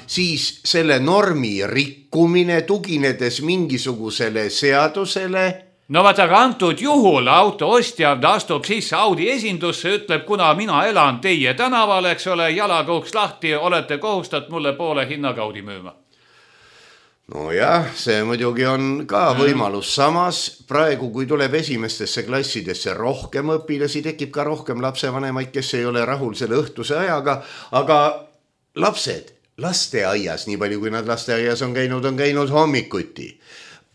siis selle normi rikkumine tuginedes mingisugusele seadusele. No vaata, aga antud juhul auto ostja astub sisse Audi esindusse, ütleb, kuna mina elan teie tänaval, eks ole, jalaga uks lahti, olete kohustat mulle poole hinnaga Audi müüma. No jah, see muidugi on ka võimalus. Samas praegu, kui tuleb esimestesse klassidesse rohkem õpilasi, tekib ka rohkem lapsevanemaid, kes ei ole rahul selle õhtuse ajaga, aga lapsed lasteaias, nii palju kui nad lasteaias on käinud hommikuti.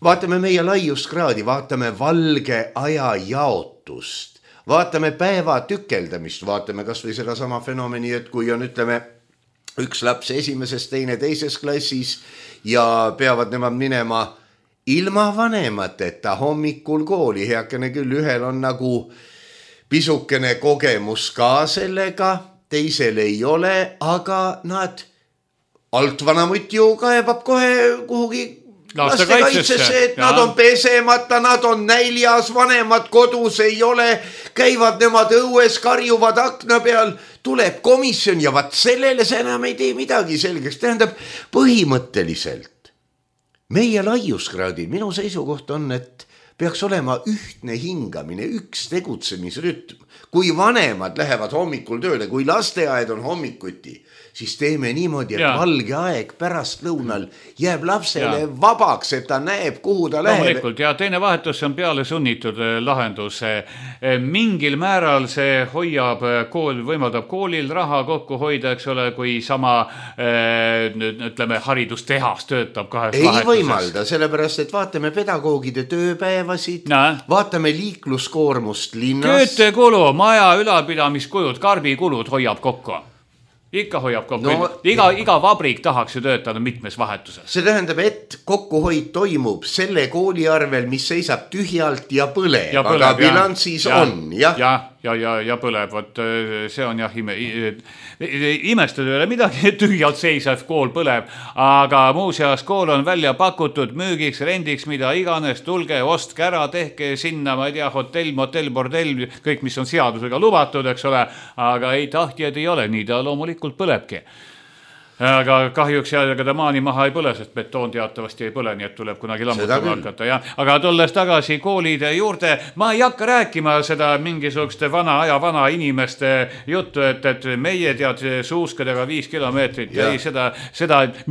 Vaatame meie laiuskraadi, vaatame valge aja jaotust, vaatame päeva tükeldamist, vaatame kas või seda sama fenomeni, et kui on, ütleme, üks laps esimeses, teine teises klassis ja peavad nemad minema ilma vanemateta hommikul kooli. Heakene küll, ühel on nagu pisukene kogemus ka sellega, teisel ei ole, aga nad altvanamutt ju kaebab kohe kuhugi lastekaitsesse, et nad on pesemata, nad on näljas, vanemad kodus ei ole, käivad nemad õues, karjuvad akna peal, tuleb komisjon ja vaat sellele see enam ei tee midagi selgeks. Tähendab, põhimõtteliselt meie laiuskraadil minu seisukoht on, et peaks olema ühtne hingamine, üks tegutsemisrütm. Kui vanemad lähevad hommikul tööle, kui lasteaed on hommikuti, siis teeme niimoodi, et valge aeg pärast lõunal jääb lapsele vabaks, et ta näeb, kuhu ta läheb. Loomulikult, ja teine vahetus on peale sunnitud lahendus. Mingil määral see võimaldab koolil raha kokku hoida, eks ole, kui sama, ütleme, haridustehas töötab kahes vahetuses. Ei võimalda, sellepärast, et vaatame pedagoogide tööpäevasid, vaatame liikluskoormust linnas. Köötekulu, maja ülalpidamiskulud, karbikulud hoiab kokku. Ikka hoiab kokku. No, iga vabrik tahaks ju töötada mitmes vahetuses. See tähendab, et kokkuhoid toimub selle kooli arvel, mis seisab tühjalt ja põleb, aga bilansis on. Ja põleb, võt, see on jah imestada üle midagi, tühjalt seisev kool põleb, aga muuseas kool on välja pakutud müügiks, rendiks, mida iganes, tulge, ostke ära, tehke sinna, ma ei tea, hotell, motell, bordell, kõik, mis on seadusega lubatud, eks ole, aga ei tahtjad ei ole, nii ta loomulikult põlebki. Aga kahjuks aga ta maani maha ei põle, sest betoon teatavasti ei põle, nii et tuleb kunagi lammutama hakata. Aga tulles tagasi koolide juurde, ma ei hakka rääkima seda mingisugust vana inimeste juttu, et meie tead suuskadega 5 kilomeetrit. Ei, seda,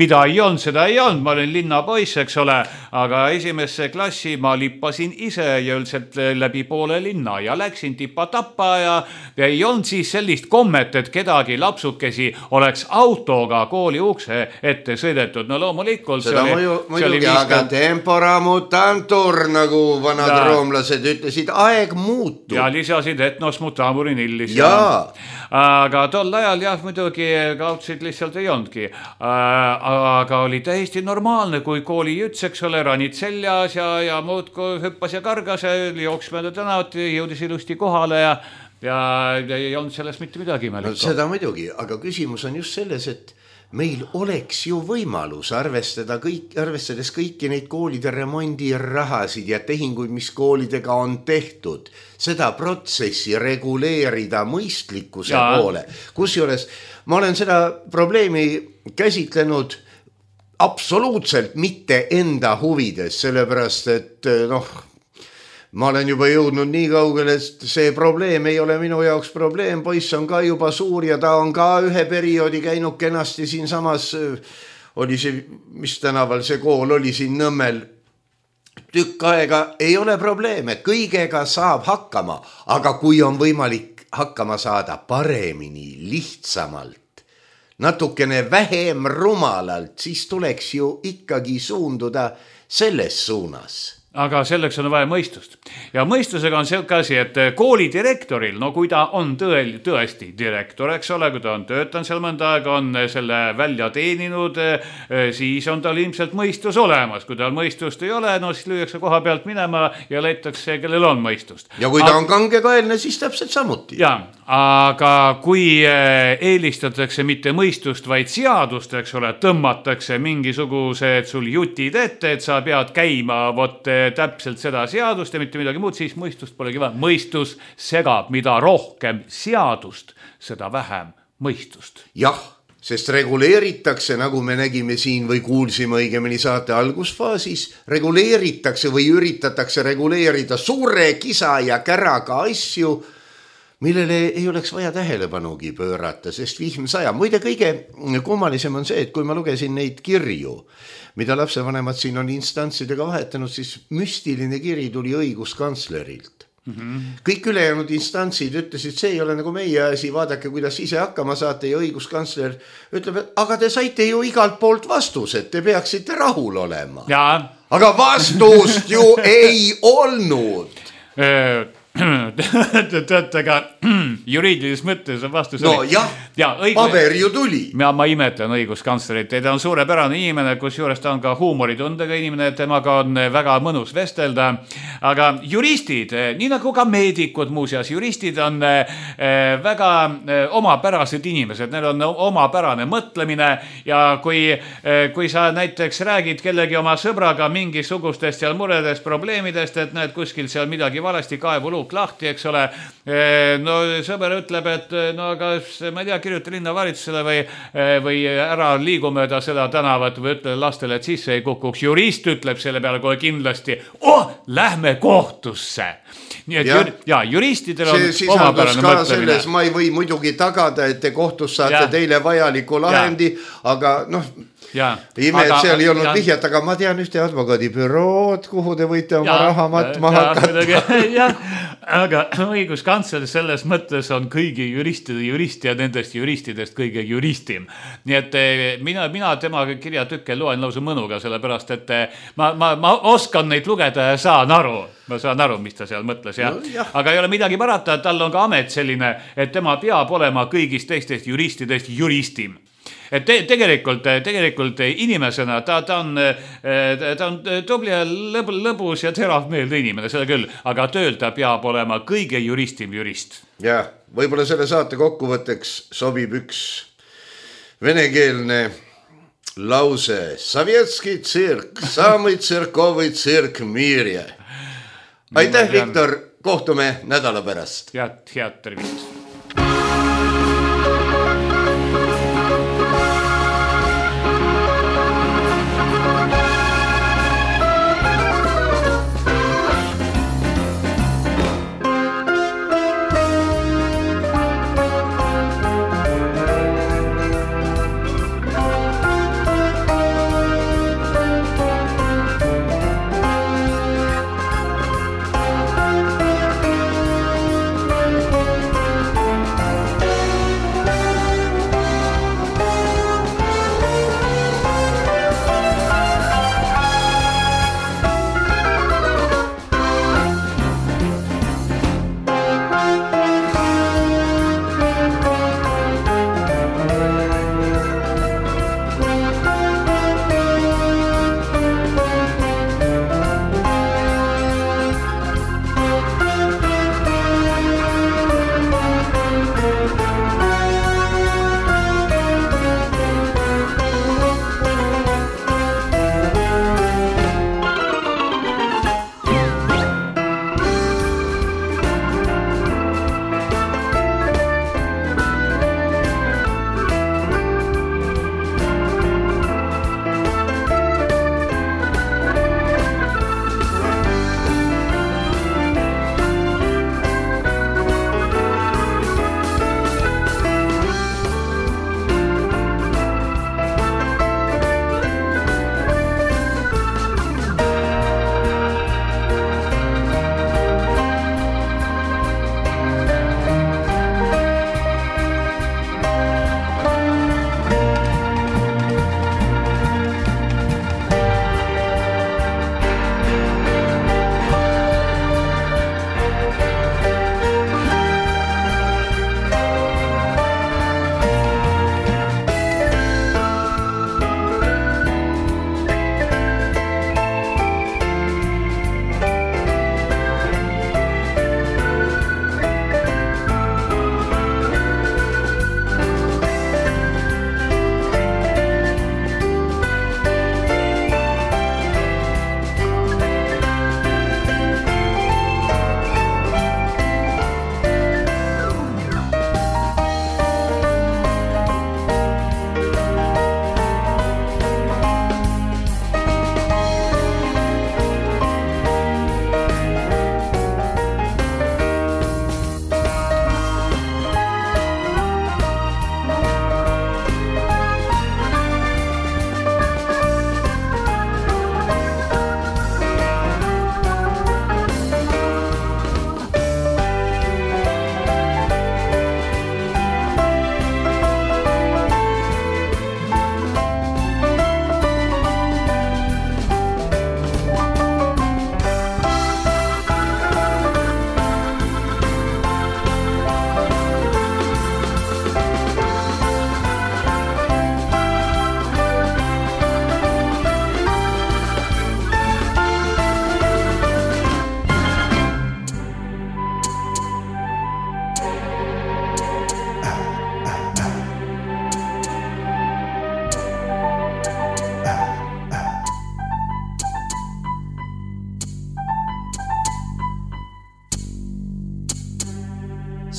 mida ei olnud, ma olin linnapoiss, eks ole, aga esimesse klassi ma lippasin ise ja üldiselt läbi poole linna ja läksin tipa-tappa ja ei olnud siis sellist kommet, et kedagi lapsukesi oleks autoga kooli ukse ette sõidetud. No loomulikult seda muidugi, aga tempora mutantur, nagu vanad roomlased ütlesid, aeg muutub. Ja lisasid etnos mutamurin illis. Aga tol ajal muidugi kaudsid lihtsalt ei olnudki. Aga oli täiesti normaalne, kui kooli juts, eks ole, ranid seljas ja muud hüppas ja kargas ja jooks mööda tänavat, jõudis ilusti kohale ja ei olnud sellest mitte midagi. No, seda muidugi, aga küsimus on just selles, et meil oleks ju võimalus arvestades kõiki neid koolide remondirahasid ja tehinguid, mis koolidega on tehtud, seda protsessi reguleerida mõistlikkuse poole. Kusjuures ma olen seda probleemi käsitlenud absoluutselt mitte enda huvides, sellepärast et ma olen juba jõudnud nii kaugele, et see probleem ei ole minu jaoks probleem, poiss on ka juba suur ja ta on ka ühe perioodi käinud kenasti siin samas, oli see, mis tänaval see kool oli siin Nõmmel, tükk aega ei ole probleeme, kõigega saab hakkama, aga kui on võimalik hakkama saada paremini, lihtsamalt, natukene vähem rumalalt, siis tuleks ju ikkagi suunduda selles suunas. Aga selleks on vaja mõistust. Ja mõistusega on selline asi, et koolidirektoril, kui ta on tõesti direktor, eks ole, kui ta on töötanud seal mõnda aega, on selle välja teeninud, siis on tal ilmselt mõistus olemas. Kui tal mõistust ei ole, siis lüüakse koha pealt minema ja leitakse, kellel on mõistust. Ja kui ta on kangekaelne, siis täpselt samuti. Ja, aga kui eelistatakse mitte mõistust, vaid seadust, eks ole, tõmmatakse mingisugused sul jutid ette, et sa pead käima täpselt seda seadust ja mitte midagi muud, siis mõistust polegi vaja. Mõistus segab, mida rohkem seadust, seda vähem mõistust. Jah, sest reguleeritakse, nagu me nägime siin või kuulsime õigemini saate algusfaasis, reguleeritakse või üritatakse reguleerida suure kisa ja käraga asju, millele ei oleks vaja tähelepanugi pöörata, sest vihm saja. Muide, kõige kummalisem on see, et kui ma lugesin neid kirju, mida lapsevanemad siin on instantsidega vahetanud, siis müstiline kiri tuli õiguskantslerilt. Kõik ülejäänud instantsid ütlesid, see ei ole nagu meie asi, vaadake, kuidas ise hakkama saate ja õiguskantsler ütleb, et aga te saite ju igalt poolt vastused, te peaksite rahul olema. Ja. Aga vastust ju ei olnud. Teate, aga juriidilises mõttes on vastus. No jah, paber ju tuli. Ma imetlen õiguskantslerit, ta on suurepärane inimene, kus juures ta on ka huumoritundega inimene, temaga on väga mõnus vestelda. Aga juristid, nii nagu ka meedikud muuseas, juristid on väga omapärased inimesed, neil on omapärane mõtlemine ja kui sa näiteks räägid kellegi oma sõbraga mingisugustest seal muredest, probleemidest, et näed kuskil seal midagi valesti, kaevuluuk lahti, eks ole. No sõber ütleb, et aga ma ei tea, kirjuta linnavalitsusele või ära liigu mööda seda tänavat või ütle lastele, et sisse ei kukuks. Jurist ütleb selle peale kohe kindlasti, lähme kohtusse. Nii et juristidel on omapärane mõtlemine. Ma ei või muidugi tagada, et te kohtus saate teile vajaliku lahendi, aga ime, et seal ei olnud vihjat, aga ma tean ühte advokaadibürood, kuhu te võite oma raha matma hakata. Aga õiguskantsler selles mõttes on kõigi juristide jurist ja nendest juristidest kõige juristim. Nii et mina tema kirjatükke loen lausa mõnuga, sellepärast, et ma oskan neid lugeda ja saan aru. Ma saan aru, mis ta seal mõtles. Aga ei ole midagi parata, tal on ka amet selline, et tema peab olema kõigist teistest juristidest juristim. Et tegelikult inimesena ta on tubli ja lõbus ja terav meelde inimene, seda küll, aga tööl ta peab olema kõige juristim jurist. Ja, võib-olla selle saate kokkuvõtteks sobib üks venekeelne lause. Sovetski tsirk, samый tsirkovый tsirk miirje. Aitäh, Viktor, kohtume nädala pärast. Head tervist.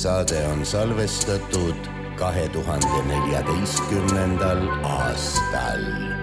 saade on salvestatud 2014. aastal.